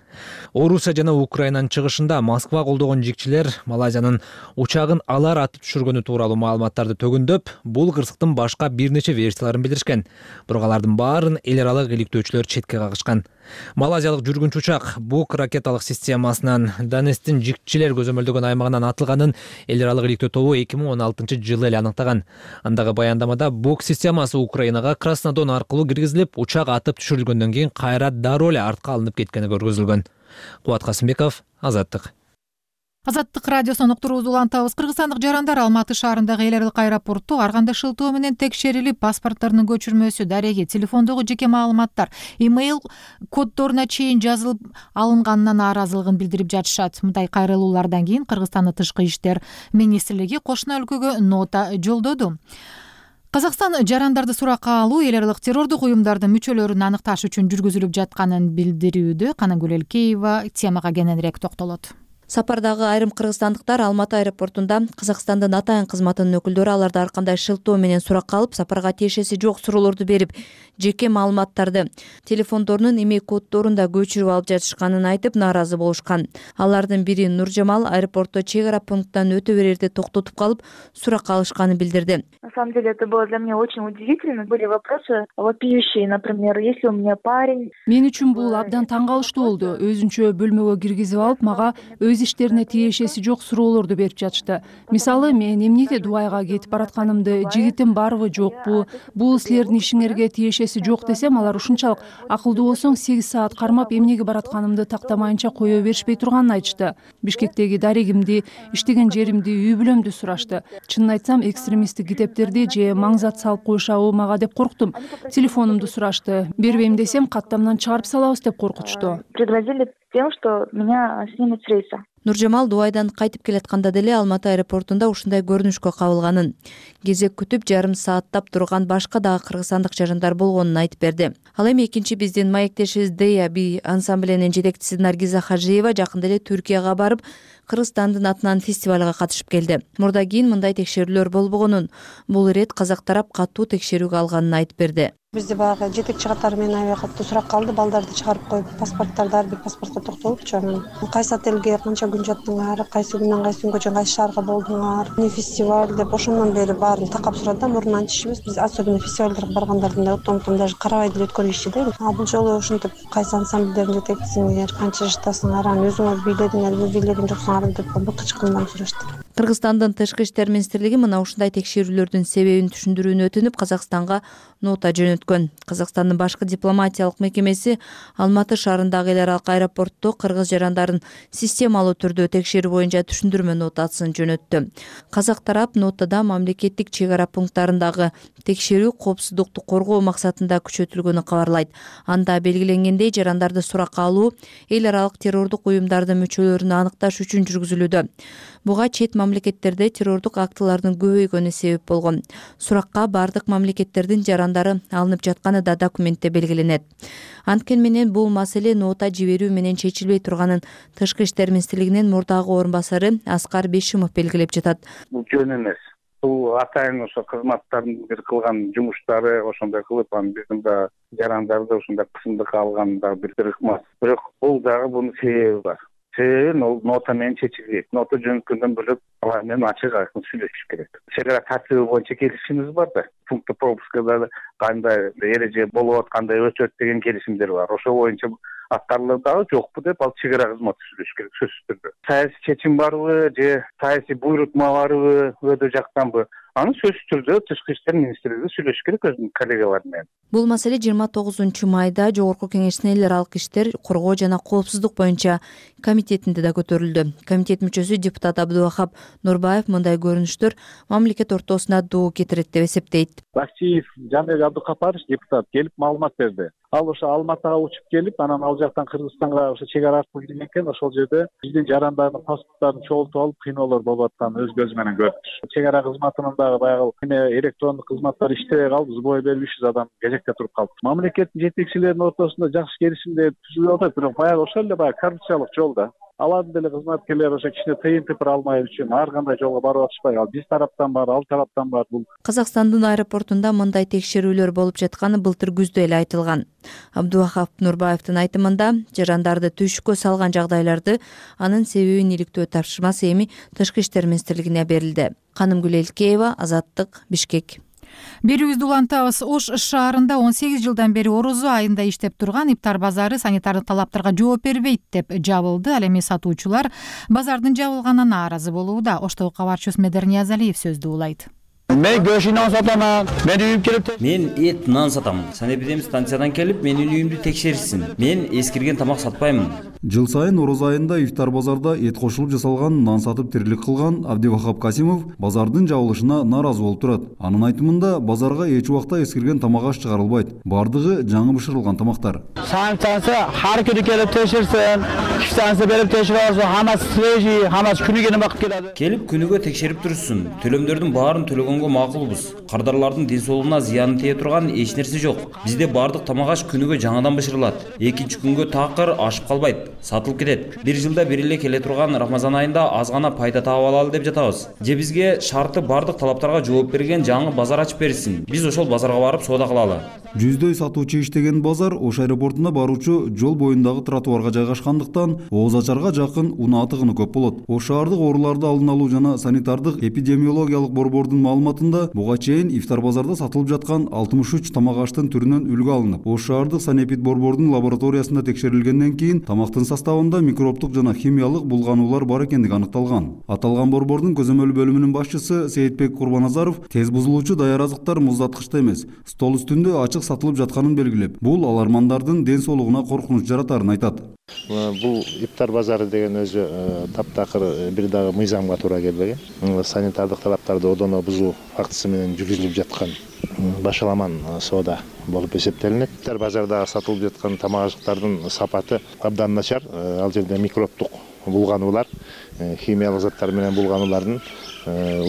Speaker 12: Орусия жана Украинанын чыгышында Москва колдогон жикчилер Малайзиянын учагын алар атып түшүргөнү тууралуу маалыматтарды төгүндөп, бул кырсыктын башка бир нече версияларын билдиришкен. Бирок алардын баарын эл аралык иликтөөчүлөр четке кагышкан. Малайзиялык жүргүнчү учак бук ракеталык системасынан Данестин жикчилер көзөмөлдөгөн аймагынан атылганын эл аралык иликтөө тобу 2016-жылы эле аныктаган. Андагы баяндамада бук системасы Украинага Краснодон аркылуу киргизилип, учак атып түшүрүлгөндөн кийин кайра дароо эле артка алынып кеткени көргөзүлгөн. Кубат Касымбеков, Азаттык.
Speaker 1: Азаттык радиосунун уктуруусу улантабыз. Кыргызстандык жарандар Алматы шаарындагы эл аралык аэропорту арганда шылтоо менен текшерилип, паспорттарынын көчүрмөсү, дареги, телефондогу жеке маалыматтар, имейл коддоруна чейин жазылып алынганына нааразылыгын билдирип жатышат. Мындай кайрылуулардан кийин Кыргызстандын тышкы иштер министрлиги кошуна өлкөгө нота жолдоду. Казакстан жарандарды суракка алуу эл аралык террордук уюмдардын мүчөлөрүн аныкташ үчүн жүргүзүлүп жатканын билдирүүдө. Канагүл Элкеева темага кененирээк токтолот.
Speaker 19: Сапардагы айрым кыргызстандыктар Алматы аэропортунда Казакстандын атайын кызматынын өкүлдөрү аларды ар кандай шылтоо менен суракка алып, сапарга тиешеси жок суроолорду берип, жеке маалыматтарды, телефондорунун имейл коддорун да көчүрүп алып жатышканын айтып нааразы болушкан. Алардын бири Нуржамал аэропортто чек ара пункттан өтө берерде токтотуп калып, суракка алышканын билдирди.
Speaker 20: На самом деле это было для меня очень удивительно. Были вопросы вопиющие, например, если у меня парень.
Speaker 21: Мен үчүн бул абдан таң калыштуу болду. Өзүнчө бөлмөгө киргизип алып, мага өз иштерине тиешеси жок суроолорду берип жатышты. Мисалы, мен эмнеге Дубайга кетип баратканымды, жигитим барбы жокпу, бул силердин ишиңерге тиешеси жок десем, алар ушунчалык акылдуу болсоң 8 саат кармап эмнеге баратканымды тактамайынча кое беришпей турганын айтышты. Бишкектеги дарегимди, иштеген жеримди, үй бүлөмдү сурашты. Чынын айтсам, экстремисттик китептерди же маңзат салып коюшабы мага деп корктум. Телефонумду сурашты. Бербейм десем, каттамдан чыгарып салабыз деп коркутушту.
Speaker 20: Пригрозили тем, что меня снимут с рейса.
Speaker 19: Нуржамал Дубайдан кайтып келатканда деле Алматы аэропортунда ушундай көрүнүшкө кабылганын, кезек күтүп жарым сааттап турган башка дагы кыргызстандык жарандар болгонун айтып берди. Ал эми экинчи биздин маектешибиз Дея Би ансамблинин жетекчиси Наргиза Хажиева жакында эле Түркияга барып, Кыргызстандын атынан фестивалга катышып келди. Мурда кийин мындай текшерүүлөр болбогонун, бул ирет казак тарап катуу текшерүүгө алганын айтып берди.
Speaker 22: Бизде баягы жетекчи катары менен аябай катуу сурак калды. Балдарды чыгарып коюп, паспорттарды ар бир паспортко токтолупчу. Кайсы отелге канча күн жаттыңар, кайсы күндөн кайсы күнгө чейин кайсы шаарга болдуңар, эмне фестиваль деп ошондон бери баарын такап сурады да. Мурунан антишибиз биз особенно фестивалдарга баргандардын да утум даже карабай деле өткөрүшчү да. Бул жолу ушинтип кайсы ансамбльдердин жетекчисиңер, канча жаштасыңар, аны өзүңөр бийледиңерби, бийлеген жоксуңар деп быкычкандан сурашты.
Speaker 19: Кыргызстандын тышкы иштер министрлиги мына ушундай текшерүүлөрдүн себебин түшүндүрүүнү өтүнүп Казакстанга нота жөнөткөн. Казакстандын башкы дипломатиялык мекемеси Алматы шаарындагы эл аралык аэропортто кыргыз жарандарын системалуу түрдө текшерүү боюнча түшүндүрмө нотасын жөнөттү. Казак тарап нотада мамлекеттик чек ара пункттарындагы текшерүү коопсуздукту коргоо максатында күчөтүлгөнү кабарлайт. Анда белгиленгендей, жарандарды суракка алуу эл аралык террордук уюмдардын мүчөлөрүн аныкташ үчүн жүргүзүлүүдө. Буга чет мамлекеттерде террордук актылардын көбөйгөнү себеп болгон. Суракка бардык мамлекеттердин жарандары алынып жатканы да документте белгиленет. Анткени менен бул маселе нота жиберүү менен чечилбей турганын Тышкы иштер министрлигинин мурдагы орун басары Аскар Бешимов белгилеп жатат.
Speaker 3: Бул жөн эмес. Бул атайын ошо кызматтардын бир кылган жумуштары ошондой кылып, биздин да жарандарды ошондой кысымдыкка алган да бир ыкмас. Бирок бул дагы бунун себеби бар. Себеби ол нота менен чечилбейт. Нота жөнөткөндөн бөлөк алар менен ачык айкын сүйлөшүш керек. Чек ара тартиби боюнча келишимибиз бар да. Пункт пропускада кандай эреже болуп кандай өтөт деген келишимдер бар. Ошол боюнча аткарылып дагы жокпу деп ал чек ара кызматы сүйлөшүш керек сөзсүз түрдө. Саясий чечим барбы же саясий буйрутма барбы, өдө жактанбы? Аны сөзсүз түрдө Тышкы иштер министрлиги сүйлөшүш керек өзүнүн коллегалары менен.
Speaker 19: Бул маселе 29-майда Жогорку Кеңештин эл аралык иштер, коргоо жана коопсуздук боюнча комитетинде да көтөрүлдү. Комитет мүчөсү депутат Абдувахап Нурбаев мындай көрүнүштөр мамлекет ортосуна доо кетирет деп эсептейт.
Speaker 5: Башчиев Жанбек Абдукапарович депутат келип маалымат берди. Ал ошо Алматыга учуп келип, анан ал жактан Кыргызстанга ошо чек ара аркылуу кирген экен. Ошол жерде биздин жарандардын паспорттарын чогултуп алып, кыйноолор болуп атканын өз көзү менен көрдү. Чек ара кызматынын дагы баягы электрондук кызматтар иштебей калып, сбой берип 300 адам кезекте туруп калды. Мамлекеттин жетекчилеринин ортосунда жакшы келишимдер түзүлүп атат, бирок баягы ошол эле баягы коррупциялык жолда. Алардын деле кызматкерлери ошо кичине тыйын тыпыр алмай үчүн ар кандай жолго барып атышпай, ал биз тараптан бар, ал тараптан бар. Бул
Speaker 19: Казакстандын аэропортунда мындай текшерүүлөр болуп жатканы былтыр күздө эле айтылган. Абдувахап Нурбаевдин айтымында, жарандарды түйшүккө салган жагдайларды анын себебин иликтөө тапшырмасы эми Тышкы иштер министрлигине берилди. Канымгүл Элкеева, Азаттык, Бишкек.
Speaker 1: Берүүбүздү улантабыз. Ош шаарында 18 жылдан бери орозо айында иштеп турган ифтар базары санитардык талаптарга жооп бербейт деп жабылды. Ал эми сатуучулар базардын жабылганына нааразы болууда. Оштогу кабарчыбыз Медер Ниязалиев сөздү улайт.
Speaker 23: Мен көш нан сатаман. Мен үйүм келип. Мен эт нан сатам. Санэпидемстанциядан келип менин үйүмдү текшеришсин. Мен эскирген тамак сатпаймын.
Speaker 24: Жыл сайын ороз айында ифтар базарда эт кошулуп жасалган нан сатып тирилик кылган Абдивахап Касимов базардын жабылышына нааразы болуп турат. Анын айтымында базарга эч убакта эскирген тамак аш чыгарылбайт. Бардыгы жаңы бышырылган тамактар.
Speaker 23: Санкция har күнү келип текшерсин. Санкция берип текшерип алса, хамасы свежий, хамасы күнүгө багып келет. Келип күнүгө текшерип турсун. Төлөмдөрдүн баарын төлөгөнгө макулбуз. Кардарлардын ден соолугуна зыяны тие турган эч нерсе жок. Бизде бардык тамак аш күнүгө жаңадан бышырылат. Экинчи күнгө такыр ашып калбайт. Сатылып кетет. Бир жылда бир эле келе турган Рамазан айында аз гана пайда таап алалы деп жатабыз. Же бизге шарты бардык талаптарга жооп берген жаңы базар ачып берсин. Биз ошол базарга барып соода кылалы.
Speaker 24: Жүздөй сатуучу иштеген базар Ош аэропортуна баруучу жол боюндагы тротуарга жайгашкандыктан ооз ачарга жакын унаа тыгыны көп болот. Ош шаардык ооруларды алдын алуу жана санитардык эпидемиологиялык борбордун маалыматында буга чейин ифтар базарда сатылып жаткан 63 тамак аштын түрүнөн үлгү алынып, Ош шаардык санэпид борбордун лабораториясында текшерилгенден кийин тамактын составында микробтук жана химиялык булгануулар бар экендиги аныкталган. Аталган борбордун көзөмөл бөлүмүнүн башчысы Сейитбек Курбаназаров тез бузулуучу даяр азыктар муздаткычта эмес, стол үстүндө ачык сатылып жатканын белгилеп, бул алармандардын ден соолугуна коркунуч жаратарын айтат.
Speaker 25: Бул ифтар базары деген өзү таптакыр бир дагы мыйзамга туура келбеген. Санитардык талаптарды одоно бузуу фактысы менен жүргүзүлүп жаткан башаламан соода болуп эсептелинет. Ифтар базарда сатылып жаткан тамак ашыктардын сапаты абдан начар. Ал жерде микробтук булгануулар, химиялык заттар менен булгануулардын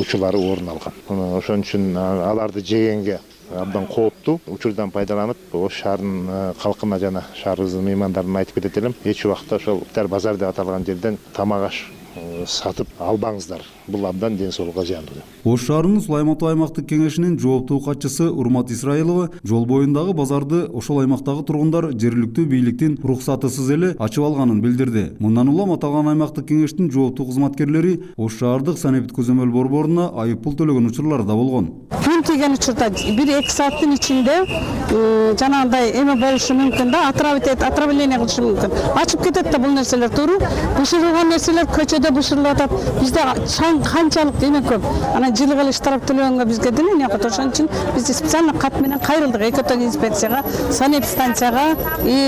Speaker 25: учурлары орун алган. Ошон үчүн аларды жегенге абдан кооптуу. Учурдан пайдаланып, Ош шаарынын калкына жана шаарыбыздын меймандарына айтып кетет элем, эч убакта ошол ифтар базар деп аталган жерден тамак аш сатып албаңыздар. Бул абдан ден соолукка зыяндуу.
Speaker 24: Ош шаарынын Сулайман Ата аймактык кеңешинин жооптуу катчысы Урмат Исраилова жол боюндагы базарды ошол аймактагы тургундар жергиликтүү бийликтин уруксатысыз эле ачып алганын билдирди. Мындан улам аталган аймактык кеңештин жооптуу кызматкерлери Ош шаардык санэпид көзөмөл борборуна айып пул төлөгөн учурлар да болгон.
Speaker 23: Күн
Speaker 22: тийген учурда 1-2 сааттын ичинде жанагындай эме болушу мүмкүн да, отравление кылышы мүмкүн. Ачып кетет да бул нерселер, туура. Бышырылган нерселер көчөдө бышырылып атат. Бизде чаң канчалык эме көп. Анан жылгы штраф төлөгөнгө бизге деле окот. Ошон үчүн биз специально кат менен кайрылдык. Экотон инспекцияга, санэпстанцияга,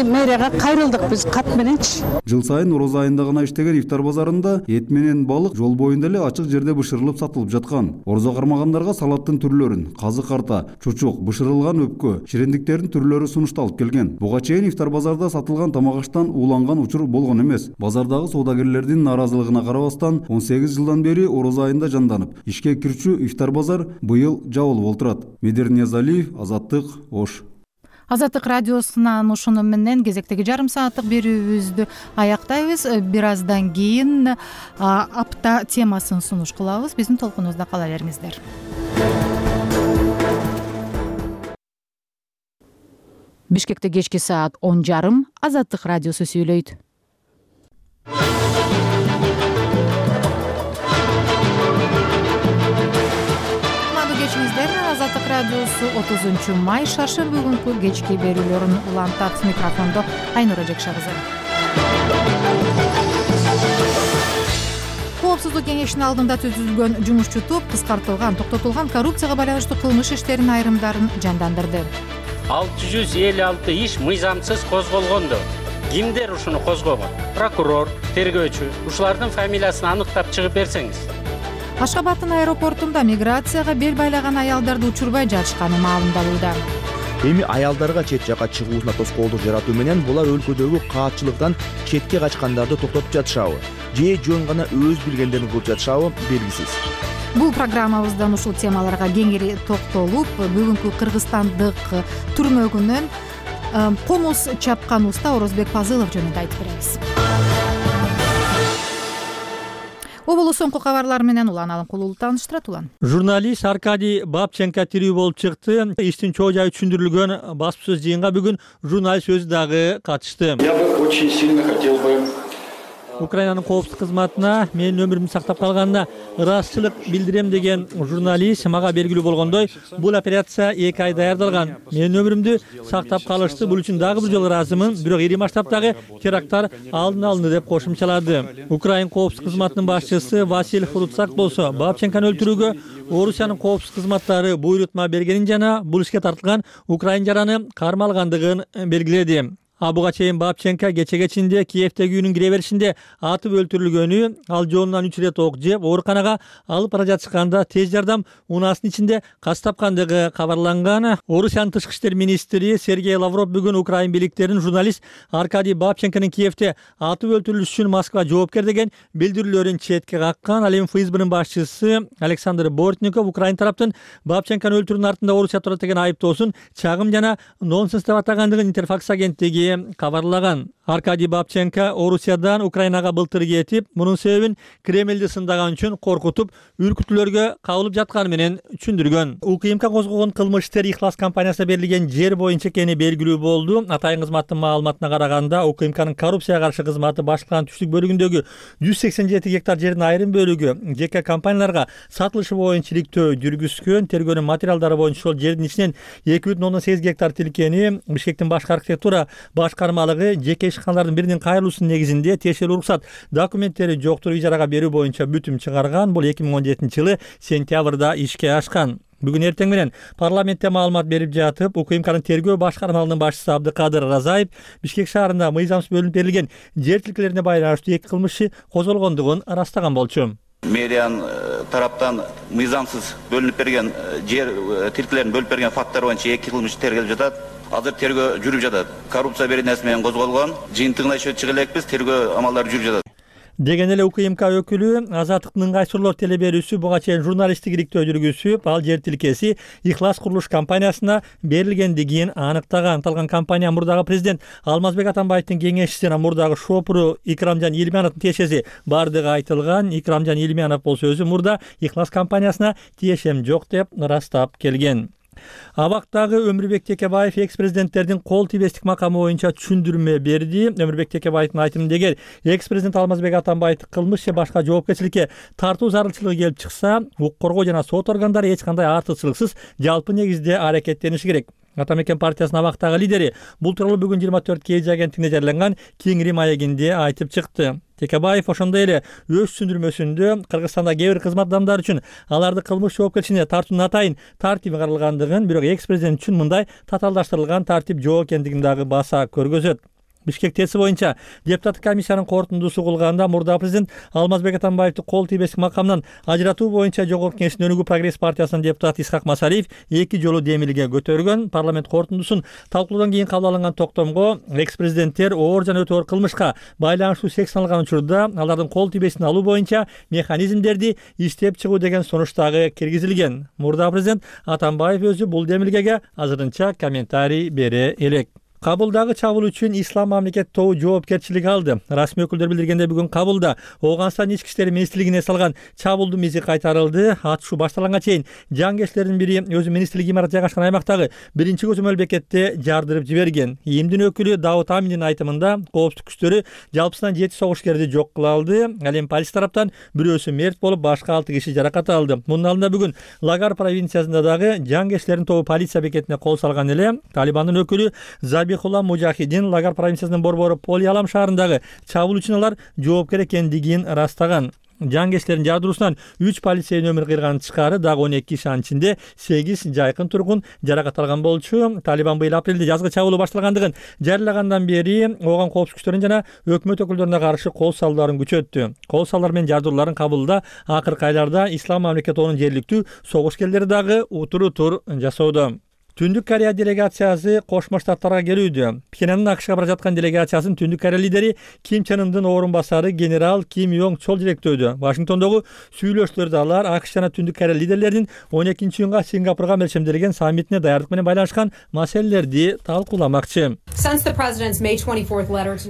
Speaker 22: мэрияга кайрылдык биз кат мененчи.
Speaker 24: Жыл сайын ороз айында гана иштеген ифтар базарында эт менен балык жол боюнда эле ачык жерде бышырылып сатылып жаткан. Орозо кармагандарга салаттын түрлөрүн, казы карта, чучук, бышырылган өпкө, ширендиктердин түрлөрү сунушталып келген. Буга чейин ифтар базарда сатылган тамак аштан ууланган учур болгон эмес. Базардагы соодагерлердин наразылыгына карабастан 18 жылдан бери ороз айында жанданып, ишке кирчү ифтар базар быйыл жабылып отурат. Медер Ниязалиев, Азаттык, Ош.
Speaker 1: Азаттык радиосунан ушуну менен кезектеги жарым сааттык берүүбүздү аяктайбыз. Бир аздан кийин апта темасын сунуш кылабыз. Биздин толкунубузда кала бериңиздер. Бишкекте кечки саат 10:30 Азаттык радиосу сүйлөйт. Азаттык радиосу 30 май шаршемби күнкү кечки берүүлөрүн улантат. Микрофондо Айнура Жекша кызы. Коопсуздук кеңешинин алдында түзүлгөн жумушчу топ токтотулган коррупцияга байланыштуу кылмыш иштеринин айрымдарын жандандырды.
Speaker 2: 656 иш мыйзамсыз козголгондо кимдер ушуну козгогон? Прокурор, тергөөчү, ушулардын фамилиясын аныктап чыгып берсеңиз.
Speaker 1: Ашгабадтын аэропортунда миграцияга бел байлаган аялдарды учурбай жатышканы маалымдалууда.
Speaker 16: Эми аялдарга чет жакка чыгуусуна тоскоолдук жаратуу менен булар өлкөдөгү каатчылыктан четке качкандарды токтотуп жатышабы же жөн гана өз билгендерин кылып жатышабы белгисиз.
Speaker 1: Бул программабыздан ушул темаларга кеңири токтолуп, бүгүнкү кыргызстандык түрмөгүнөн комуз чапкан уста Орозбек Пазылов жөнүндө айтып беребиз. Оболу соңку кабарлар менен Улан Алымкулуулу тааныштырат. Улан.
Speaker 4: Журналист Аркадий Бабченко тирүү болуп чыкты. Иштин чоо жайы түшүндүрүлгөн баспасөз жыйынга бүгүн журналист өзү дагы катышты.
Speaker 6: Я бы очень сильно хотел бы
Speaker 4: Украинанын коопсуздук кызматына менин өмүрүмдү сактап калганына ырасчылык билдирем деген журналист мага белгилүү болгондой, бул операция 2 ай даярдалган. Менин өмүрүмдү сактап калышты. Бул үчүн дагы бир жолу ыраазымын. Бирок ири масштабтагы теракттар алдын алынды деп кошумчалады. Украин коопсуздук кызматынын башчысы Василий Фруцак болсо, Бабченкону өлтүрүүгө Орусиянын коопсуздук кызматтары буйрутма бергенин жана бул ишке тартылган украин жараны кармалгандыгын белгиледи. Буга чейин Бабченко кечеге чейин Киевдеги үйүнүн кире беришинде атып өлтүрүлгөнү, ал жонунан 3 рет ок жеп, ооруканага алып бара жатышканда тез жардам унаасынын ичинде каз тапкандыгы кабарланган. Орусиянын тышкы иштер министри Сергей Лавров бүгүн украин бийликтерин журналист Аркадий Бабченконун Киевде атып өлтүрүлүшү үчүн Москва жоопкер деген билдирүүлөрүн четке каккан. Ал эми ФСБнын башчысы Александр Бортников Украин тараптын Бабченкону өлтүрүүнүн артында Орусия турат деген айыптоосун чагым жана нонсенс деп атагандыгын Интерфакс агенттиги кабарлаган. Аркадий Бабченко Орусиядан Украинага былтыр кетип, мунун себебин Кремлди сындаган үчүн коркутуп, үркүтүүлөргө кабылып жатканы менен түшүндүргөн. УКМК козгогон кылмыш иштер Ихлас компаниясына берилген жер боюнча экени белгилүү болду. Атайын кызматтын маалыматына караганда, УКМКнын коррупцияга каршы кызматы башкарманын түштүк бөлүгүндөгү 187 гектар жердин айрым бөлүгү жеке компанияларга сатылышы боюнча иликтөө жүргүзгөн. Тергөөнүн материалдары боюнча ошол жердин ичинен 2,8 гектар тилкени Бишкектин башкы архитектура башкармалыгы жеке ишканалардын биринин кайрылуусунун негизинде тиешелүү уруксат документтери жоктур ижарага берүү боюнча бүтүм чыгарган. Бул 2017-жылы сентябрда ишке ашкан. Бүгүн эртең менен парламентте маалымат берип жатып, УКМКнын тергөө башкармалыгынын башчысы Абдыкадыр Разаев Бишкек шаарында мыйзамсыз бөлүнүп берилген жер тилкелерине байланыштуу 2 кылмыш иши козголгондугун ырастаган болчу.
Speaker 7: Мэриянын тараптан мыйзамсыз бөлүнүп берген жер тилкелерин бөлүп берген факттар боюнча 2 кылмыш тергелип жатат. Азыр тергөө жүрүп жатат. Коррупция беренеси менен козголгон. Жыйынтыгына иши чыга элекпиз, тергөө амалдары жүрүп жатат.
Speaker 4: Деген эле УКМК өкүлү Азаттыктын ыңгайсыздуулар телеберүүсү буга чейин журналисттик иликтөө жүргүзүп, ал жер тилкеси Ихлас курулуш компаниясына берилгендигин аныктаган. Аталган компания мурдагы президент Алмазбек Атамбаевдин кеңешчиси жана мурдагы шопуру Икрамжан Илмановдун тиешеси бардыгы айтылган. Икрамжан Илманов болсо өзү мурда Ихлас компаниясына тиешем жок деп ырастап келген. Абактагы Өмүрбек Текебаев экс-президенттердин кол тийбестик макамы боюнча түшүндүрмө берди. Өмүрбек Текебаевдин айтымында эгер экс-президент Алмазбек Атамбаевди кылмыш же башка жоопкерчиликке тартуу зарылчылыгы келип чыкса, укук коргоо жана сот органдары эч кандай артыкчылыксыз жалпы негизде аракеттениши керек. Ата мекен партиясынын абактагы лидери бул тууралуу бүгүн 24 KG агенттигине жарыяланган Кеңири маегинде айтып чыкты. Текебаев ошондой эле өз түшүндүрмөсүндө Кыргызстанда кээ бир кызмат адамдары үчүн аларды кылмыш жоопкерчилигине тартуунун атайын тартиби каралгандыгын, бирок экс-президент үчүн мындай татаалдаштырылган тартип жок экендигин дагы баса көргөзөт. Бишкек ТЭСи боюнча депутаттык комиссиянын корутундусу угулганда мурда президент Алмазбек Атамбаевди кол тийбестик макамдан ажыратуу боюнча Жогорку Кеңештин Өнүгүү прогресс партиясынын депутаты Исхак Масалиев 2 жолу демилге көтөргөн. Парламент корутундусун талкуулоодон кийин кабыл алынган токтомго экс-президенттер оор жана өтө оор кылмышка байланыштуу сексиналган учурда алардын кол тийбестин алуу боюнча механизмдерди иштеп чыгуу деген сунуш дагы киргизилген. Мурда президент Атамбаев өзү бул демилгеге азырынча комментарий бере элек. Кабылдагы чабуул үчүн Ислам мамлекет тобу жоопкерчилик алды. Расмий өкүлдөр билдиргендей бүгүн кабылда Ооганстан ички иштер министрлигине салган чабуулдун изи кайтарылды. Атышуу башталганга чейин жангерчилердин бири өзү министрлик имараты жайгашкан аймактагы биринчи көзөмөл бекетте жардырып жиберген. ИИМдин өкүлү Давут Аминдин айтымында коопсуздук күчтөрү жалпысынан 7 согушкерди жок кыла алды. Ал эми полиция тараптан бирөөсү мерт болуп, башка 6 киши жаракат алды. Мунун алдында бүгүн Лагар провинциясында дагы жангерчилердин тобу полиция бекетине кол салган эле. Талибандын өкүлү Забихулла Мужахидин Лагар провинциясынын борбору Полиалам шаарындагы чабуул үчүн алар жоопкер экендигин ырастаган. Жангерчилердин жардыруусунан 3 полицейдин өмүрү кыйылган тышкары дагы 12 киши, анын ичинде 8 жайкын тургун жаракат алган болчу. Талибан быйыл апрелде жазгы чабуулу башталгандыгын жарыялагандан бери ооган коопсуздук күчтөрүнүн жана өкмөт өкүлдөрүнө каршы кол салууларын күчөттү. Кол салуулар менен жардырууларын кабылда акыркы айларда Ислам мамлекет тобунун жергиликтүү согушкерлери дагы утур жасоодо. Түндүк Корея делегациясы Кошмо Штаттарга келүүдө. Пхеньяндын АКШга бара жаткан делегациясын Түндүк Корея лидери Ким Чен Ындын орун басары генерал Ким Йонг Чол жетектөөдө. Вашингтондогу сүйлөшүүлөрдө алар АКШ жана Түндүк Корея лидерлеринин 12-июнга Сингапурга мелчемделген саммитине даярдык менен байланышкан маселелерди талкууламакчы.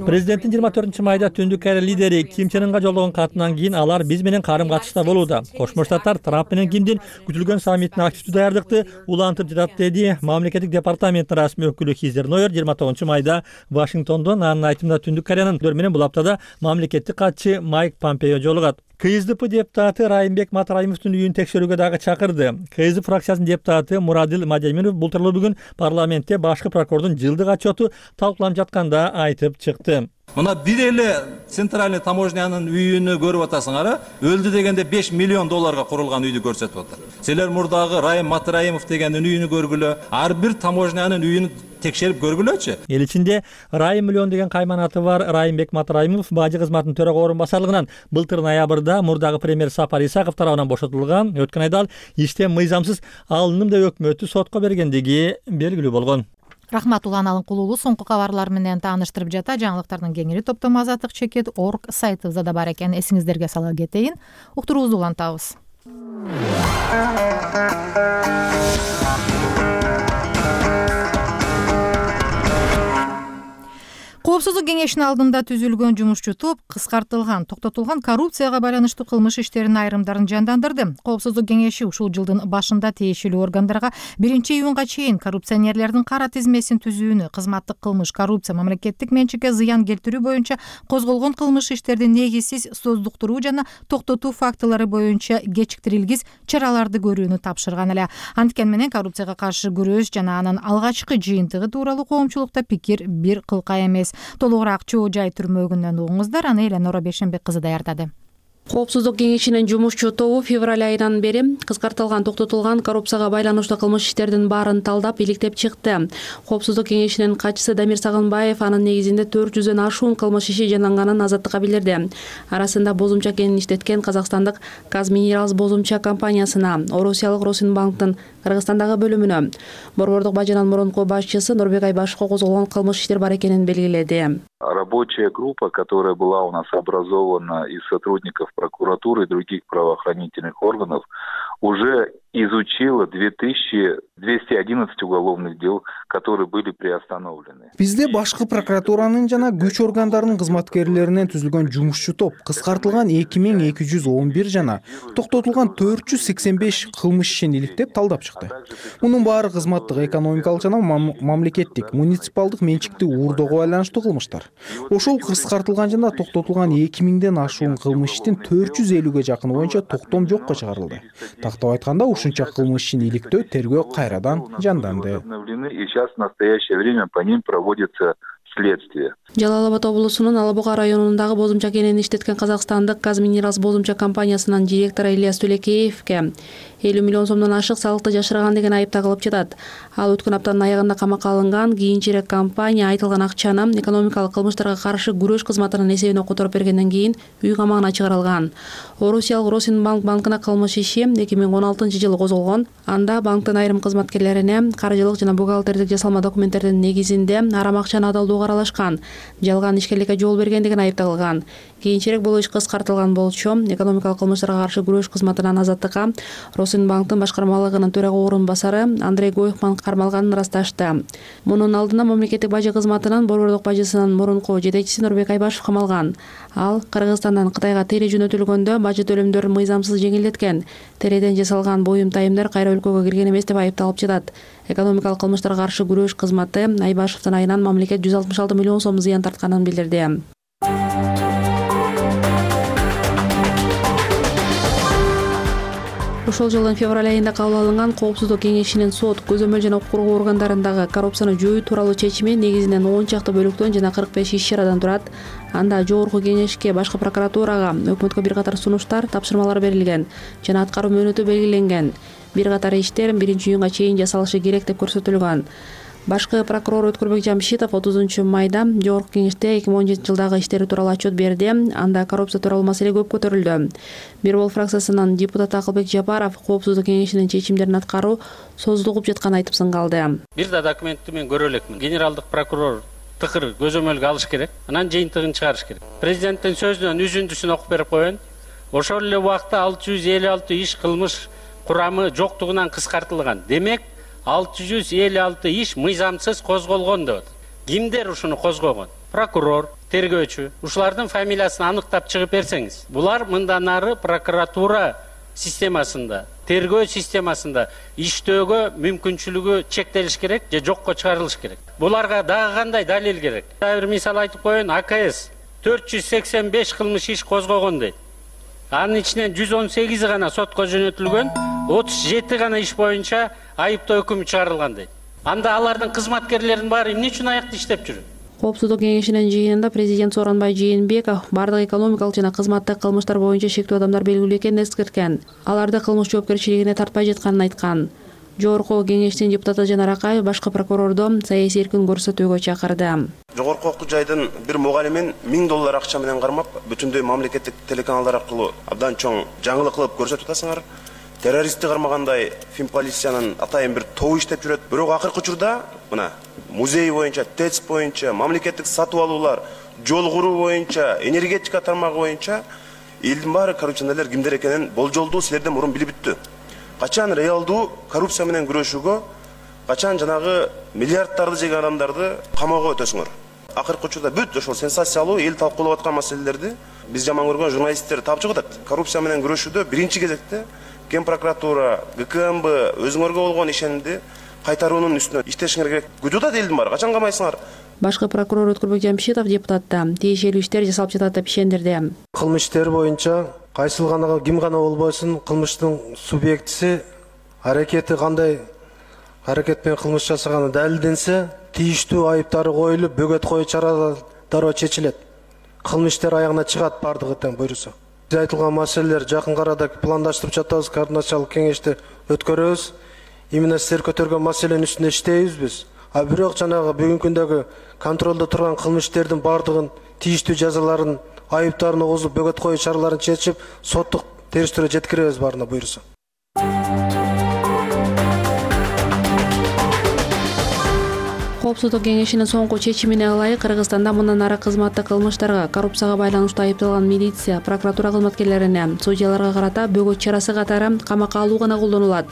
Speaker 4: Президенттин 24-майда Түндүк Корея лидери Ким Чен Ынга жолдогон катынан кийин алар биз менен карым-катышта болууда. Кошмо Штаттар Трамп менен Кимдин күтүлгөн саммитине активдүү даярдыкты улантып жатат деди мамлекеттик департаменттин расмий өкүлү Хизер Нойер 29-майда Вашингтондон. Анын айтымында Түндүк Кореянын менен бул аптада мамлекеттик катчы Майк Помпео жолугат. КСДП депутаты Райымбек Матраимовдун үйүн текшерүүгө дагы чакырды. КСДП фракциясынын депутаты Мурадил Мадемиров бул тууралуу бүгүн парламентте башкы прокурордун жылдык отчету талкууланып жатканда айтып чыкты.
Speaker 8: Мына бир эле центральный таможнянын үйүнү көрүп атасыңар, өлдү дегенде 5 миллион долларга курулган үйдү көрсөтүп атат. Силер мурдагы Райым Матраимов дегендин үйүнү көргүлө, ар бир таможнянын үйүн текшерип көргүлөчү. Эл
Speaker 4: ичинде Райым миллион деген кайманаты бар Райымбек Матраимов бажы кызматынын төрага орун басарлыгынан былтыр ноябрда мурдагы премьер Сапар Исаков тарабынан бошотулган. Өткөн айда ал иштен мыйзамсыз алындым деп өкмөтү сотко бергендиги белгилүү болгон.
Speaker 1: Рахмат Улан Алынкулуулу соңку кабарлар менен тааныштырып жата. Жаңылыктардын кеңири топтому azatlyk.org сайтыбызда да бар экен. Эсиңиздерге сала кетейин. Уктуруубузду улантабыз. Коопсуздук кеңешинин алдында түзүлгөн жумушчу топ кыскартылган, токтотулган коррупцияга байланыштуу кылмыш иштеринин айрымдарын жандандырды. Коопсуздук кеңеши ушул жылдын башында тиешелүү органдарга 1-июнга чейин коррупционерлердин кара тизмесин түзүүнү, кызматтык кылмыш, коррупция, мамлекеттик менчикке зыян келтирүү боюнча козголгон кылмыш иштердин негизсиз создуктуруу жана токтотуу фактылары боюнча кечиктирилгис чараларды көрүүнү тапшырган эле. Анткен менен коррупцияга каршы күрөш жана анын алгачкы жыйынтыгы тууралуу коомчулукта пикир бир кылка эмес. Толугураак Чоо Жай түрмөгүнөн угуңуздар. Аны Эленора Бешенбек кызы даярдады.
Speaker 9: Коопсуздук кеңешинин жумушчу тобу февраль айынан бери кыскартылган, токтотулган коррупцияга байланыштуу кылмыш иштердин баарын талдап, иликтеп чыкты. Коопсуздук кеңешинин катчысы Дамир Сагынбаев анын негизинде 400дөн ашуун кылмыш иши жанданганын азаттыкка билдирди. Арасында бозумча кенин иштеткен казакстандык Казминералс бозумча компаниясына, Орусиялык Росинбанктын Кыргызстандагы бөлүмүнө, Борбордук бажынын мурунку башчысы Нурбек Айбашевго козголгон кылмыш иштер бар экенин белгиледи.
Speaker 10: Рабочая группа, которая была у нас образована из сотрудников прокуратуры и других правоохранительных органов, уже изучила 2211 уголовных дел, которые были приостановлены.
Speaker 11: Бизде башкы прокуратуранын жана күч органдарынын кызматкерлеринен түзүлгөн жумушчу топ кыскартылган 2211 жана токтотулган 485 кылмыш ишин иликтеп талдап чыкты. Мунун баары кызматтык, экономикалык жана мамлекеттик, муниципалдык менчиктүү уурдоого байланыштуу кылмыштар. Ошол кыскартылган жана токтотулган 2000ден ашуун кылмыш иштин 450ге жакыны боюнча токтом жокко чыгарылды. Тактап айтканда, ушунча кылмыш ишин иликтөө, тергөө кайрадан жанданды.
Speaker 10: И сейчас в настоящее время по ним проводится следствие.
Speaker 9: Жалал Абад облусунун Ала Буга районундагы бозумча кенени иштеткен казакстандык Казминералс бозумча компаниясынын директору Ильяс Түлекеевке 50 миллион сомдон ашык салыкты жашырган деген айып тагылып жатат. Ал өткөн аптанын аягында камакка алынган. Кийинчерээк компания айтылган акчаны экономикалык кылмыштарга каршы күрөш кызматынын эсебине которуп бергенден кийин үй камагына чыгарылган. Орусиялык Росинбанк банкына кылмыш иши 2016-жылы козголгон. Анда банктын айрым кызматкерлерине каржылык жана бухгалтердик жасалма документтердин негизинде арам акчаны адалдоого аралашкан, жалган ишкерликке жол берген деген айып тагылган. Кийинчерээк бул иш кыскартылган болчу. Экономикалык кылмыштарга каршы күрөш кызматынан азаттыкка Росинбанктын башкармалыгынын төрага орун басары Андрей Гойхман кармалганын ырасташты. Мунун алдында мамлекеттик бажы кызматынын борбордук бажысынын мурунку жетекчиси Нурбек Айбашев камалган. Ал Кыргызстандан Кытайга тере жөнөтүлгөндө бажы төлөмдөрүн мыйзамсыз жеңилдеткен. Тереден жасалган буюм тайымдар кайра өлкөгө кирген эмес деп айыпталып жатат. Экономикалык кылмыштарга каршы күрөш кызматы Айбашевдин айынан мамлекет 166 миллион сом зыян тартканын билдирди. Ошол жылдын февраль айында кабыл алынган Коопсуздук кеңешинин сот, көзөмөл жана укук коргоо органдарындагы коррупцияны жоюу тууралуу чечими негизинен 10 чакты бөлүктөн жана 45 иш-чарадан турат. Анда жогорку кеңешке, башкы прокуратурага, өкмөткө бир катар сунуштар, тапшырмалар берилген жана аткаруу мөөнөтү белгиленген. Бир катар иштер 1-июнга чейин жасалышы керек деп көрсөтүлгөн. Башкы прокурор Өткөрбек Жамшитов 30-майда жогорку кеңеште 2017-жылдагы иштери тууралуу отчет берди. Анда коррупция тууралуу маселе көп көтөрүлдү. Бир бол фракциясынын депутаты Акылбек Жапаров Коопсуздук кеңешинин чечимдерин аткаруу созулуп жатканын айтып сыңгалды.
Speaker 2: Бир да документти мен көрө элекмин. Генералдык прокурор тыкыр көзөмөлгө алыш керек, анан жыйынтыгын чыгарыш керек. Президенттин сөзүнөн үзүндүсүн окуп берип коеюн. Ошол эле убакта 656 иш кылмыш курамы жоктугунан кыскартылган. Демек 656 иш мыйзамсыз козголгон деп. Кимдер ушуну козгогон? Прокурор, тергөөчү. Ушулардын фамилиясын аныктап чыгып берсеңиз. Булар мындан ары прокуратура системасында, тергөө системасында иштөөгө мүмкүнчүлүгү чектелиш керек же жокко чыгарылыш керек. Буларга дагы кандай далил керек? Бир мисал айтып коеюн, АКС 485 кылмыш иш козгогон дейт. Анын ичинен 118 гана сотко жөнөтүлгөн, 37 гана иш боюнча айыптоо өкүмү чыгарылган дейт. Анда алардын кызматкерлеринин баары эмне үчүн аякта иштеп жүрөт?
Speaker 9: Коопсуздук кеңешинин жыйынында президент Сооронбай Жээнбеков бардык экономикалык жана кызматтык кылмыштар боюнча шектүү адамдар белгилүү экенин эскерткен. Аларды кылмыш жоопкерчилигине тартпай жатканын айткан. Жогорку кеңештин депутаты Жанар Акаев башкы прокурорду саясий эркин көрсөтүүгө чакырды.
Speaker 13: Жогорку окуу жайдын бир мугалимин $1000 акча менен кармап, бүтүндөй мамлекеттик телеканалдар аркылуу абдан чоң жаңылык кылып көрсөтүп атасыңар. Террористти кармагандай финполициянын атайын бир тобу иштеп жүрөт. Бирок акыркы учурда мына музей боюнча, ТЭЦ боюнча, мамлекеттик сатып алуулар, жол куруу боюнча, энергетика тармагы боюнча элдин баары коррупционерлер кимдер экенин болжолдуу силерден мурун билип бүттү. Качан реалдуу коррупция менен күрөшүүгө, качан жанагы миллиарддарды жеген адамдарды камоого өтөсүңөр. Акыркы учурда бүт ошол сенсациялуу эл талкуулап аткан маселелерди биз жаман көргөн журналисттер тапчы кылат. Коррупция менен күрөшүүдө биринчи кезекте Ген прокуратура, ГКМБ өзүңөргө болгон ишенимди кайтаруунун үстүнө иштешиңер керек. Күдү элдин баары, качан камайсыңар?
Speaker 9: Башкы прокурор Өткөрбек Жамшитов депутатта тиешелүү иштер жасалып жатат деп ишендирди.
Speaker 14: Кылмыш иштери боюнча кайсыл гана ким гана болбосун кылмыштын субъектиси аракети кандай аракет менен кылмыш жасаганы далилденсе, тийиштүү айыптары коюлуп, бөгөт коюу чаралары дароо чечилет. Кылмыш иштери аягына чыгат бардыгы тең буйруса. Айтылган маселелер жакын арада пландаштырып жатабыз, координациялык кеңешти өткөрөбүз. Именно силер көтөргөн маселенин үстүндө иштейбиз биз. А бирок жанагы бүгүнкү күндөгү контролдо турган кылмыш иштердин бардыгын тийиштүү жазаларын, айыптарын огузуп, бөгөт коюу чараларын чечип, соттук териштирүүгө жеткиребиз баарына буйруса.
Speaker 9: Коопсуздук кеңешинин соңку чечимине ылайык Кыргызстанда мындан ары кызматтык кылмыштарга, коррупцияга байланыштуу айыпталган милиция, прокуратура кызматкерлерине, судьяларга карата бөгөт чарасы катары камакка алуу гана колдонулат.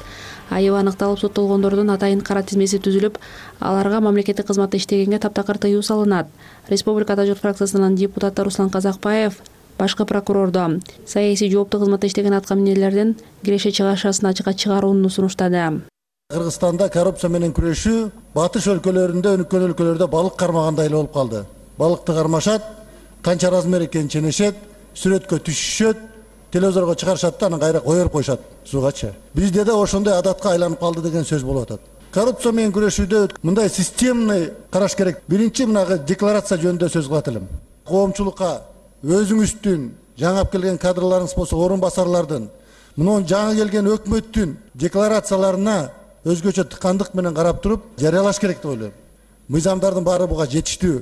Speaker 9: Айыбы аныкталып соттолгондордун атайын кара тизмеси түзүлүп, аларга мамлекеттик кызматта иштегенге таптакыр тыюу салынат. Республика Ата журт фракциясынын депутаты Руслан Казакбаев башкы прокурордо саясий жооптуу кызматта иштеген аткаминерлердин киреше чыгашасын ачыкка чыгарууну сунуштады.
Speaker 12: Кыргызстанда коррупция менен күрөшүү батыш өлкөлөрүндө, өнүккөн өлкөлөрдө балык кармагандай эле болуп калды. Балыкты кармашат, канча размер экенин ченешет, сүрөткө түшүшөт, телевизорго чыгарышат да анан кайра коюп коюшат сугачы. Бизде да ошондой адатка айланып калды деген сөз болуп атат. Коррупция менен күрөшүүдө мындай системный караш керек. Биринчи мынагы декларация жөнүндө сөз кылат элем. Коомчулукка өзүңүздүн жаңы келген кадрларыңыз болсо орун басарлардын, мунун жаңы келген өкмөттүн декларацияларына өзгөчө тыкандык менен карап туруп жарыялаш керек деп ойлойм. Мыйзамдардын баары буга жетиштүү.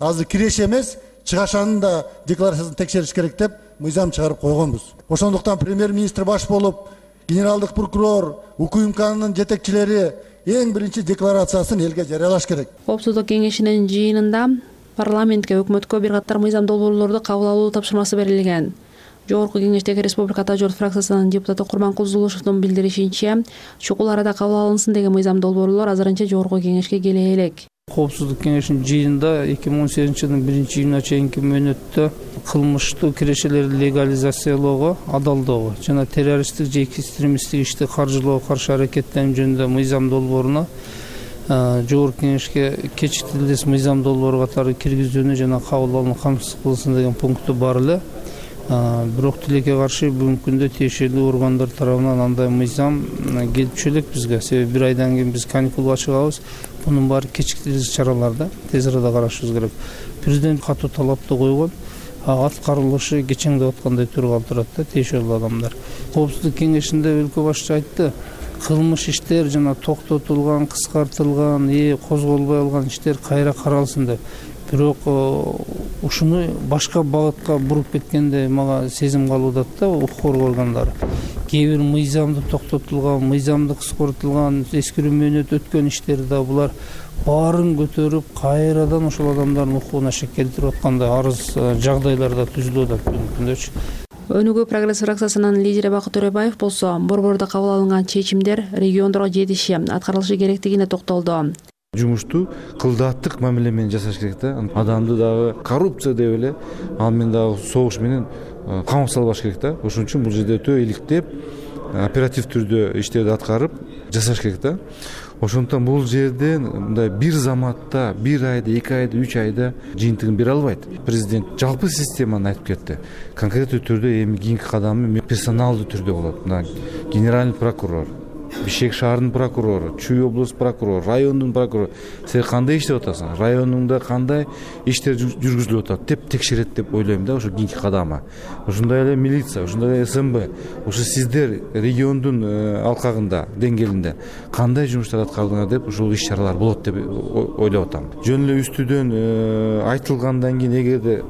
Speaker 12: Азыр киреше эмес, чыгашанын да декларациясын текшериш керек деп мыйзам чыгарып койгонбуз. Ошондуктан премьер-министр баш болуп, генералдык прокурор, УКМКнын жетекчилери эң биринчи декларациясын элге жарыялаш керек.
Speaker 9: Коопсуздук кеңешинин жыйынында парламентке, өкмөткө бир катар мыйзам долбоорлорду кабыл алуу тапшырмасы берилген. Жогорку кеңештеги Республика Ата журт фракциясынын депутаты Курманкул Зулушевдун билдиришинче, чукул арада кабыл алынсын деген мыйзам долбоорлор азырынча жогорку кеңешке келе элек.
Speaker 15: Коопсуздук кеңешинин жыйынында 2018-жылдын 1-июнуна чейинки мөөнөттө кылмыштуу кирешелерди легализациялоого, адалдоого жана террористтик же экстремисттик ишти каржылоого каршы аракеттенүү жөнүндө мыйзам долбооруна жогорку кеңешке кечиктилдес мыйзам долбоору катары киргизүүнү жана кабыл алууну камсыз кылсын деген пункту бар эле. Бирок тилекке каршы бүгүнкү күндө тиешелүү органдар тарабынан андай мыйзам келипчү элек бизге. Себеби бир айдан кийин биз каникулга чыгабыз. Мунун баары кечиктиргис чараларда тез арада карашыбыз керек. Президент катуу талапты койгон. Аткарылышы кечең деп аткандай түрү калтырат да тиешелүү адамдар. Коопсуздук кеңешинде өлкө башчысы айтты, кылмыш иштер жана токтотулган, кыскартылган, козголбой алган иштер кайра каралсын деп. Бирок ушуну башка багытка буруп кеткенде мага сезим калууда да укук коргоо органдары. Кээ бир мыйзамды токтотулган, мыйзамды кыскартылган, эскирүү мөөнөт өткөн иштер да булар баарын көтөрүп кайрадан ошол адамдардын укугуна шек келтирип аткандай арыз жагдайларда түзүлүп атат бүгүнкү күндө.
Speaker 9: Өнүгүү прогресс фракциясынын лидери Бакыт Төрөбаев болсо борбордо кабыл алынган чечимдер региондорго жетиши, аткарылышы керектигине токтолду.
Speaker 17: Жумушту кылдааттык мамиле менен жасаш керек да. Адамды дагы коррупция деп эле, ал менен дагы согуш менен камап салбаш керек да. Ошон үчүн бул жерде өтө иликтеп, оператив түрдө иштерди аткарып жасаш керек да. Ошондуктан бул жерде мындай бир заматта, бир айда, 2 айда, 3 айда жыйынтыгын бере албайт. Президент жалпы системаны айтып кетти. Конкреттүү түрдө эми кийинки кадамы персоналдуу түрдө болот. Мына генеральный прокурор, Бишкек шаарынын прокурору, Чүй облус прокурору, райондун прокурору, сен кандай иштеп атасың, районуңда кандай иштер жүргүзүлүп атат деп текшерет деп ойлойм да, ошо кийинки кадамы. Ошондой эле милиция, ошондой эле СМБ, ошо сиздер региондун алкагында, деңгээлинде кандай жумуштар аткардыңар деп ушул иш-чаралар болот деп ойлоп атам. Жөн эле үстүдөн айтылгандан кийин эгерде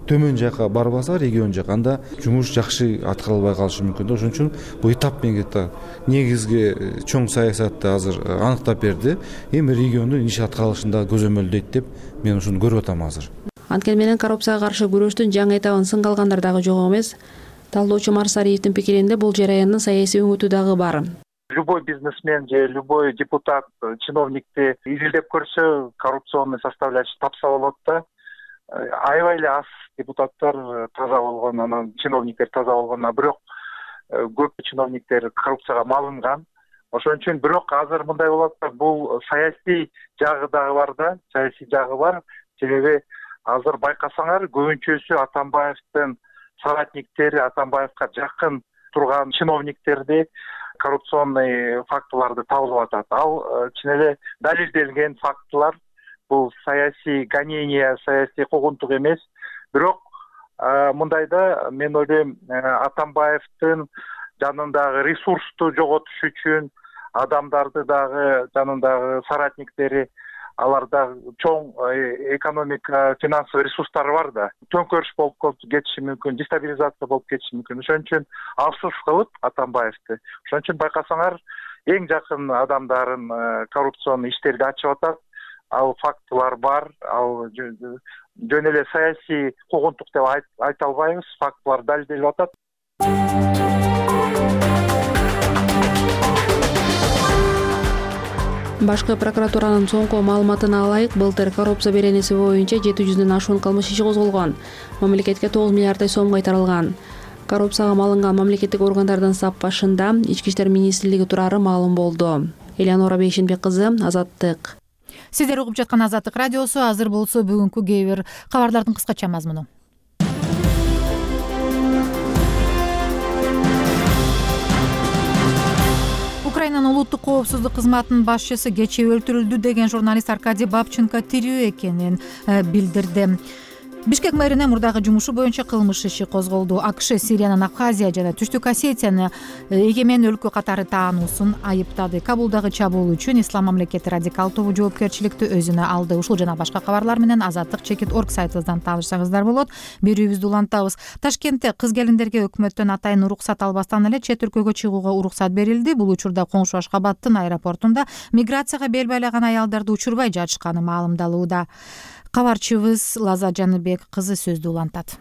Speaker 17: төмөн жака барбаса регион жака анда жумуш жакшы аткарылбай калышы мүмкүн да. Ошон үчүн бул этап менен негизги чоң саясатты азыр аныктап берди. Эми региондун иш аткарылышында көзөмөлдөйт деп мен ушуну көрүп атам азыр.
Speaker 9: Анткени менен коррупцияга каршы күрөштүн жаңы этабын сынга алгандар дагы жок эмес. Талдоочу Марсариевдин пикиринде бул жараяндын саясий өңүтү дагы бар.
Speaker 5: Любой бизнесмен же любой депутат, чиновникти изилдеп көрсө, коррупционный составляющий тапса болот да. Аябай эле аз депутаттар таза болгон, анан чиновниктер таза болгон, бирок көп чиновниктер коррупцияга малынган. Ошон үчүн бирок азыр мындай болот да, бул саясий жагы дагы бар да, саясий жагы бар. Себеби азыр байкасаңар көбүнчөсү Атамбаевдин соратниктери, Атамбаевга жакын турган чиновниктерди коррупционный фактыларды табылып атат. Ал чын эле далилделген фактылар. Бул саясий гонение, саясий куугунтук эмес. Бирок мындайда мен ойлойм, Атамбаевдин жанындагы ресурсту жоготуш үчүн адамдарды дагы жанындагы соратниктери, аларда чоң экономика, финансовый ресурстары бар да. Төңкөрүш болуп кетиши мүмкүн, дестабилизация болуп кетиши мүмкүн. Ошон үчүн алсыз кылып Атамбаевди. Ошон үчүн байкасаңар эң жакын адамдарын коррупционный иштерди ачып атат.
Speaker 3: ал фактылар бар, ал жөн эле саясий куугунтук деп айта албайбыз, фактылар далилделип атат.
Speaker 9: Башкы прокуратуранын соңку маалыматына ылайык, былтыр коррупция беренеси боюнча 700дөн ашуун кылмыш иши козголгон. Мамлекетке 9 миллиарддай сом кайтарылган. Коррупцияга малынган мамлекеттик органдардын сап башында Ички иштер министрлиги турары маалым болду. Элеонора Бейшенбек кызы, Азаттык.
Speaker 1: Сиздер угуп жаткан Азаттык радиосу. Азыр болсо бүгүнкү кээ бир кабарлардын кыскача мазмуну. Украинанын улуттук коопсуздук кызматынын башчысы кечээ өлтүрүлдү деген журналист Аркадий Бабченко тирүү экенин билдирди. Бишкек мэринин мурдагы жумушу боюнча кылмыш иши козголду. АКШ Сириянын Абхазия жана Түштүк Осетияны эгемен өлкө катары таануусун айыптады. Кабулдагы чабуул үчүн Ислам мамлекети радикал тобу жоопкерчиликти өзүнө алды. Ушул жана башка кабарлар менен Азаттык.org сайтыбыздан таанышсаңыздар болот. Берүүбүздү улантабыз. Ташкентте кыз келиндерге өкмөттөн атайын уруксат албастан эле чет өлкөгө чыгууга уруксат берилди. Бул учурда коңшу Ашкабадтын аэропортунда миграцияга бел байлаган аялдарды учурбай жатышканы маалымдалууда. Кабарчыбыз Лаза Жаныбек кызы сөздү улантат.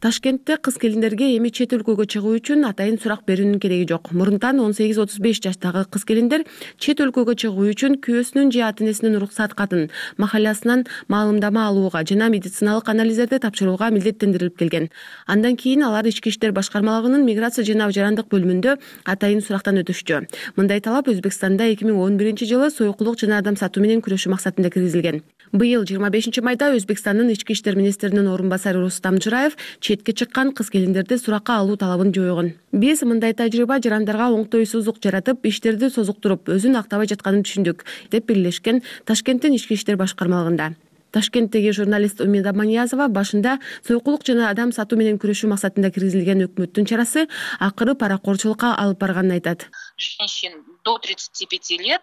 Speaker 18: Ташкентте кыз келиндерге эми чет өлкөгө чыгуу үчүн атайын сурак берүүнүн кереги жок. Мурунтан 18-35 жаштагы кыз келиндер чет өлкөгө чыгуу үчүн күйөөсүнүн же ата энесинин уруксат катын, махаллясынан маалымдама алууга жана медициналык анализдерди тапшырууга милдеттендирилип келген. Андан кийин алар Ички иштер башкармалыгынын миграция жана жарандык бөлүмүндө атайын сурактан өтүшчү. Мындай талап Өзбекстанда 2011-жылы сойкулук жана адам сатуу менен күрөшүү максатында киргизилген. Быйыл 25-майда Өзбекстандын Ички иштер министринин орун басары Рустам Жыраев четке чыккан кыз келиндерди суракка алуу талабын жойгон. Биз мындай тажрыйба жарандарга оңтойсуздук жаратып, иштерди созуктуруп, өзүн актабай жатканын түшүндүк, деп бирлешкен Ташкенттин Ички иштер башкармалыгында. Ташкенттеги журналист Умида Маниязова башында сойкулук жана адам сатуу менен күрөшүү максатында киргизилген өкмөттүн чарасы акыры паракорчулукка алып барганын айтат.
Speaker 19: Женщин до 35 лет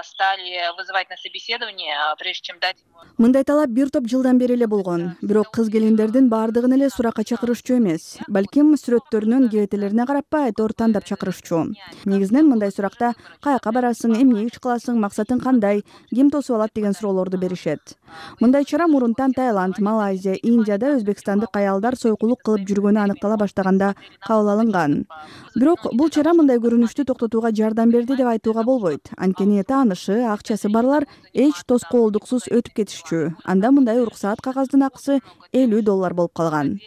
Speaker 19: стали вызывать на собеседование, прежде чем дать.
Speaker 20: Мындай талап бир топ жылдан бери эле болгон. Бирок кыз келиндердин баардыгын эле суракка чакырышчу эмес. Балким сүрөттөрүнүн кебетелерине карап айтор тандап чакырышчу. Негизинен мындай суракта каяка барасың, эмне иш кыласың, максатың кандай, ким тосуп алат деген суроолорду беришет. Мындай чара мурунтан Таиланд, Малайзия, Индияда өзбекстандык аялдар сойкулук кылып жүргөнү аныктала баштаганда кабыл алынган. Бирок бул чара мындай көрүнүштү токтотууга жардам берди деп айтууга болбойт. Анткени таанышы, акчасы барлар эч тоскоолдуксуз өтүп кетишчү. Анда мындай уруксаат кагаздын акысы $50 болуп калган.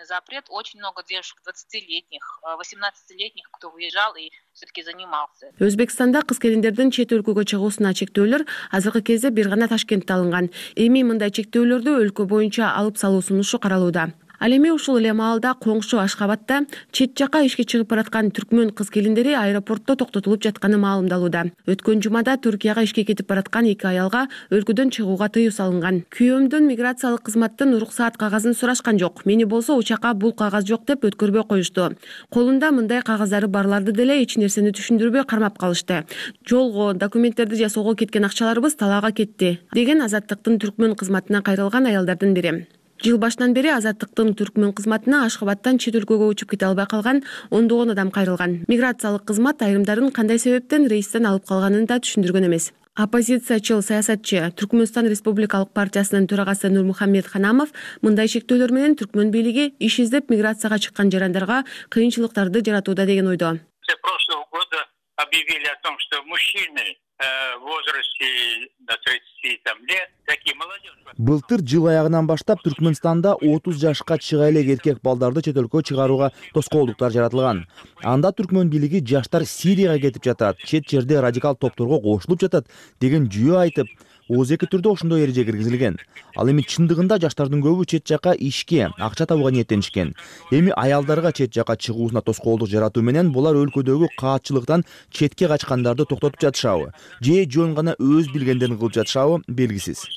Speaker 19: Запрет, очень много девушек 20-летних, 18-летних, кто выезжал и все-таки занимался.
Speaker 18: Өзбекстанда кыз келиндердин чет өлкөгө чыгуусуна чектөөлөр азыркы кезде бир гана Ташкентте алынган. Эми мындай чектөөлөрдү өлкө боюнча алып салуу сунушу каралууда. Ал эми ушул эле маалда коңшу Ашкабадта чет жака ишке чыгып бараткан түркмөн кыз келиндери аэропортто токтотулуп жатканы маалымдалууда. Өткөн жумада Түркияга ишке кетип бараткан 2 аялга өлкөдөн чыгууга тыюу салынган. Күйөөмдөн миграциялык кызматтын уруксаат кагазын сурашкан жок. Мени болсо учакка бул кагаз жок деп өткөрбөй коюшту. Колунда мындай кагаздары барларды деле эч нерсени түшүндүрбөй кармап калышты. Жолго, документтерди жасоого кеткен акчаларыбыз талаага кетти, деген Азаттыктын түркмөн кызматына кайрылган аялдардын бири. Жыл башынан бери Азаттыктын түркмөн кызматына Ашкабадтан чет өлкөгө учуп кете албай калган ондогон адам кайрылган. Миграциялык кызмат айрымдарын кандай себептен рейстен алып калганын да түшүндүргөн эмес. Оппозициячыл саясатчы Түркмөнстан Республикалык партиясынын төрагасы Нурмухаммед Ханамов мындай чектөөлөр менен түркмөн бийлиги иш издеп миграцияга чыккан жарандарга кыйынчылыктарды жаратууда деген ойдо.
Speaker 21: Прошлого года объявили о том, что мужчины в возрасте до 30 лет, такие молодежь.
Speaker 16: Былтыр жыл аягынан баштап Түркмөнстанда 30 жашка чыга элек эркек балдарды чет өлкөгө чыгарууга тоскоолдуктар жаратылган. Анда түркмөн бийлиги жаштар Сирияга кетип жатат, чет жерде радикал топторго кошулуп жатат деген жүйө айтып, ОЗК түрдө ошондой эреже киргизилген. Ал эми чындыгында жаштардын көбү чет жака ишке, акча табууга ниеттенишкен. Эми аялдарга чет жака чыгуусуна тоскоолдук жаратуу менен булар өлкөдөгү каатчылыктан четке качкандарды токтотуп жатышабы, же жөн гана өз билгендерин кылып жатышабы белгисиз.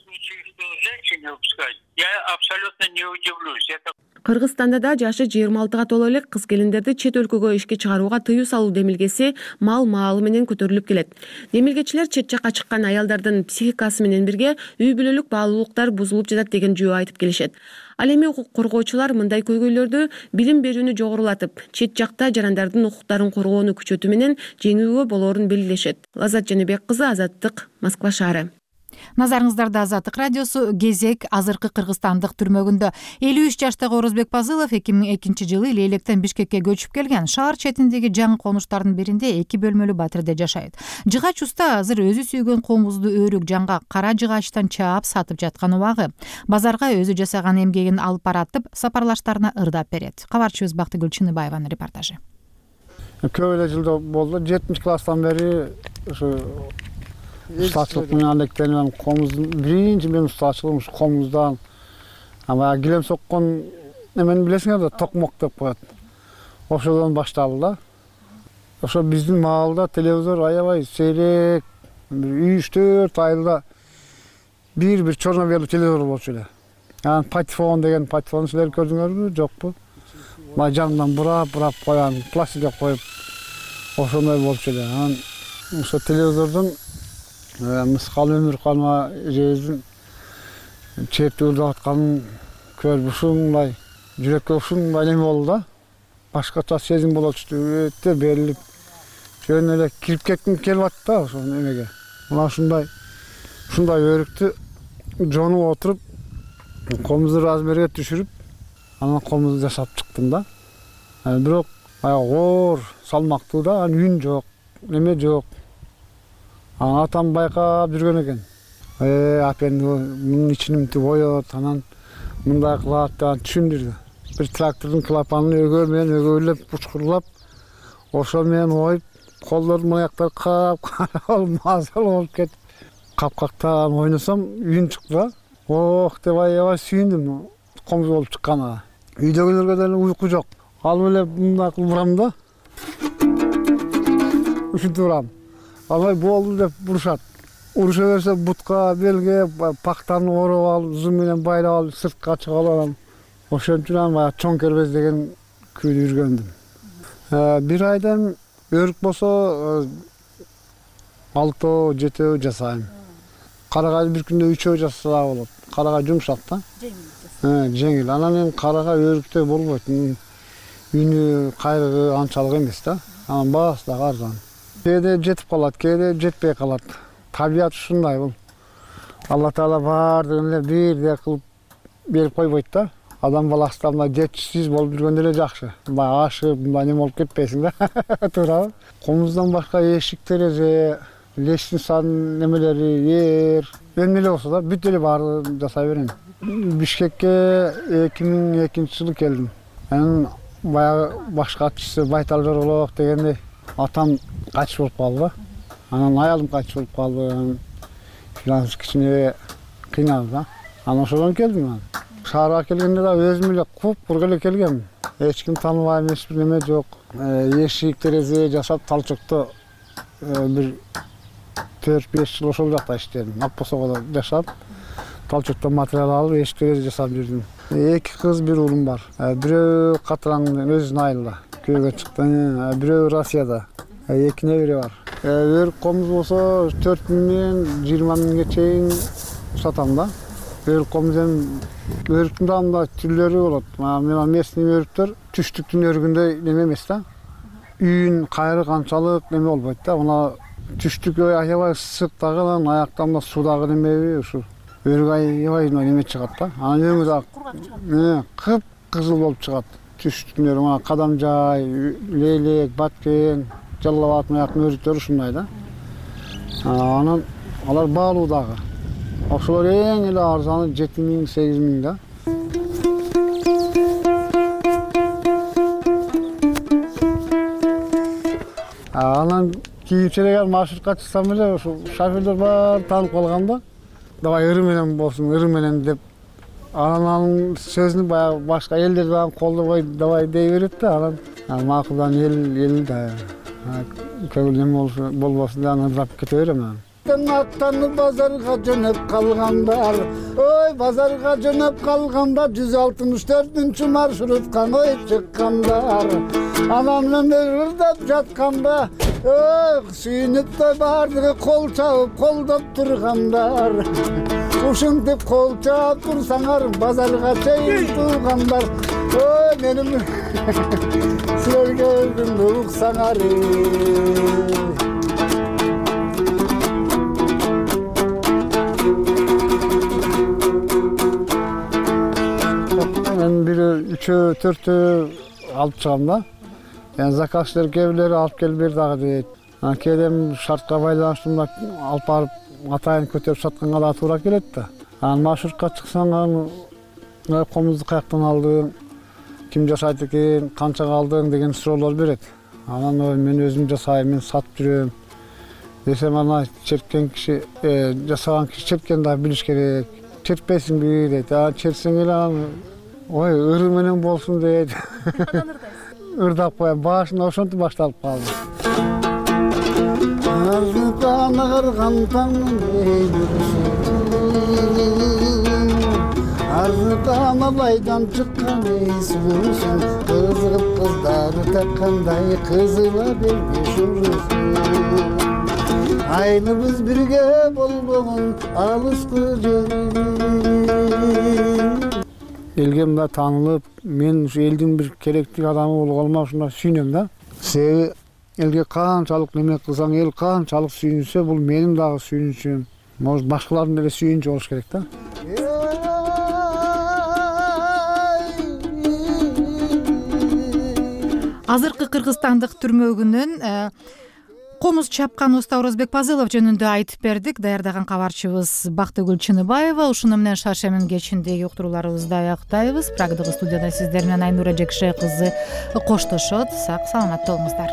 Speaker 21: Я абсолютно не удивлюсь.
Speaker 18: Кыргызстанда да жашы 26-га толо элек кыз келиндерди чет өлкөгө ишке чыгарууга тыюу салуу демилгеси маалы менен көтөрүлүп келет. Демилгечилер чет жака чыккан аялдардын психикасы менен бирге үй бүлөлүк баалуулуктар бузулуп жатат деген жүйө айтып келишет. Ал эми укук коргоочулар мындай көйгөйлөрдү билим берүүнү жогорулатып, чет жакта жарандардын укуктарын коргоону күчөтүү менен жеңүүгө болоорун белгилешет. Лазат Жаныбек кызы, Азаттык, Москва шаары.
Speaker 1: Назарыңыздарда Азаттык радиосу. Кезек азыркы кыргызстандык түрмөгүндө 53 жаштагы Орозбек Пазылов 2002-жылы Лейлектен Бишкекке көчүп келген. Шаар четиндеги жаңы конуштардын биринде 2 бөлмөлүү батирде жашайт. Жыгач уста азыр өзү сүйгөн комузду өрүк жаңга кара жыгачтан чаап сатып жаткан убагы. Базарга өзү жасаган эмгегин алып баратып, сапарлаштарына ырдап берет. Кабарчыбыз Бактыгүл Чыныбаеванын репортажы.
Speaker 6: Көп эле жылда болду. 7-класстан бери ушу ustaçılık менен алектенген комуздун биринчи мен ustaçылыгым ушу комуздан. Ама килем соккон эмени билесиңер да, токмок деп коет. Ошодон башталды да. Ошо биздин маалда телевизор аябай сейрек, 3-4 айда бир черно-белый телевизор болчу эле. Анан патефон деген, патефон силер көрдүңөрбү, жокпу? Мына жанынан бурап коюн, пластикке коюп, ошондой болчу эле. Анан ошо телевизордон мыскал өмүр калма эжебиздин чепти ырдап атканын көрүп ушундай жүрөккө ушундай эме болду да. Башкача сезим болочу, өтө берилип, жөн эле кирип кетким келип атты да ошол эмеге. Мына ушундай өрүктү жонуп отуруп, комузду размерге түшүрүп, анан комузду жасап чыктым да. Бирок оор, салмактуу да, анан үн жок, эме жок. Атам байкап жүргөн экен. Апен мунун ичинимди боет, анан мындай кылат деп түшүндүрдү. Бир трактордун клапанын өгөө менен өгөйлөп, учкурлап, ошо менен оюп, колдордун аяктары кап-кара болуп, мазал болуп кетип, капкактан ойносом, үн чыкты да. Ох деп аябай сүйүндүм комуз болуп чыкканына. Үйдөгүлөргө деле уйку жок. Алып эле мындай кылып урам да. Ушинтип урам. Алай болду деп урушат. Уруша берсе бутка, белге, пактаны ороп алып, зум менен байлап алып, сыртка чыгып алам. Ошон үчүн анан чоң кербез деген күйдү жүргөндүм. Бир айдан өрүк болсо 6-7 жасайм. Карагайды бир күндө 3 жасаса болот. Карагай жумшак да. Жеңил. Анан эми карагай өрүктөй болбойт. Үнү, кайрыгы анчалык эмес да. Анан баасы да арзан. Кээде жетип калат, кээде жетпей калат. Табият ушундай бул. Алла Таала баардыгын эле бирдей кылып берип койбойт да. Адам баласы мындай жетишсиз болуп жүргөндө эле жакшы. Мындай ашып, мындай неме болуп кетпейсиң да. Туурабы? Комуздан башка эшик, терезе, лестницанын немелери, эмне эле болсо да бүт эле баарын жасай берем. Бишкекке 2002-жылы келдим. Анан баягы баш катчысы Байтал Жорголов дегендей атам кайтыш болуп калды. Анан аялым кайтыш болуп калды. Финанс кичине кыйналды да. Анан ошодон келдим мен. Шаарга келгенде да өзүм эле куп-курук эле келгем. Эч ким тааныбайм, эч бир неме жок. Эшик, терезе жасап, талчокто бир 4-5 жыл ошол жакта иштедим. Акбосогодо жашап, талчоктон материал алып, эшик, терезе жасап жүрдүм. 2 кыз, 1 уулум бар. Бирөө Катыраңдын өзүнүн айылда күйөөгө чыкты, бирөө Россияда. 2 небере бар. Өрүк комуз болсо 4 миңден 20 миңге чейин сатам да. Өрүк комуздун өрүктүн да мындай түрлөрү болот. Мына местный өрүктөр түштүктүн өрүгүндөй неме эмес да. Үн, кайрык анчалык неме болбойт да. Мына түштүк аябай ысык дагы, аякта мына суудагы немеби ушу өрүк аябай неме чыгат да. Анан өңү да кып-кызыл болуп чыгат. Түштүктүн өрүгү, мына Кадамжай, Лейлек, Баткен, Жалал Абад аяктын өрүктөрү ушундай да. Анан алар баалуу дагы. Ошолор эң эле арзаны 7 миң, 8 миң да. Анан кийинчерээк маршрутка чыксам эле ошо шоферлор баары таанып калган да. Давай ыры менен болсун, ыры менен деп. Анан сөзүн баягы башка элдер дагы колдобой давай дей берет да. Анан макулдан эл да. Көңүл неме болбосун деп анан ырдап кете берем. Аттанып базарга жөнөп калгандар, ой базарга жөнөп калганда 164-үнчү маршрутка коюп чыккандар. Анам менен ырдап жатканда, ой сүйүнүп да баардыгы кол чабып колдоп тургандар. Ушинтип кол чаап турсаңар базарга чейин туугандар. Ой менин силерге өзүмдү уксаңар. төртөө алып чыгам да. Заказчылар кээ бирлери алып келип бер дагы дейт. Кээде шартка байланыштуу мына алып барып атайын көтөрүп сатканга да туура келет да. Маршрутка чыксаң комузду каяктан алдың, ким жасайт экен, канчага алдың деген суроолор берет. Анан мен өзүм жасайм, мен сатып жүрөм десем, ана черткен киши, жасаган киши черткен да билиш керек. Чертпейсиңби дейт. Чертсең эле ой, ыры менен болсун дейт. Ырдап коем, башында ошентип башталып калды. Арзыкан агарган таңдын арзыкан абайдан чыккан эйс болсун, кызыгып кыздары таккандай кызыла бербеш урусун. Айныбыз бирге болбогон алыскы элге мындай таанылып, мен ушу элдин бир керектүү адамы болгоныма ушундай сүйүнөм да. Себеби элге канчалык неме кылсаң, эл канчалык сүйүнсө, бул менин дагы сүйүнүчүм, может башкалардын деле сүйүнүчү болуш керек да.
Speaker 1: Азыркы кыргызстандык түрмөгүнөн комуз чапкан уста Орозбек Пазылов жөнүндө айтып бердик. Даярдаган кабарчыбыз Бактыгүл Чыныбаева. Ушуну менен Шаршемин кечиндеги уктурууларыбызды аяктайбыз. Прагдагы студияда сиздер менен Айнура Жекше кызы коштошот. Сак саламатта болуңуздар.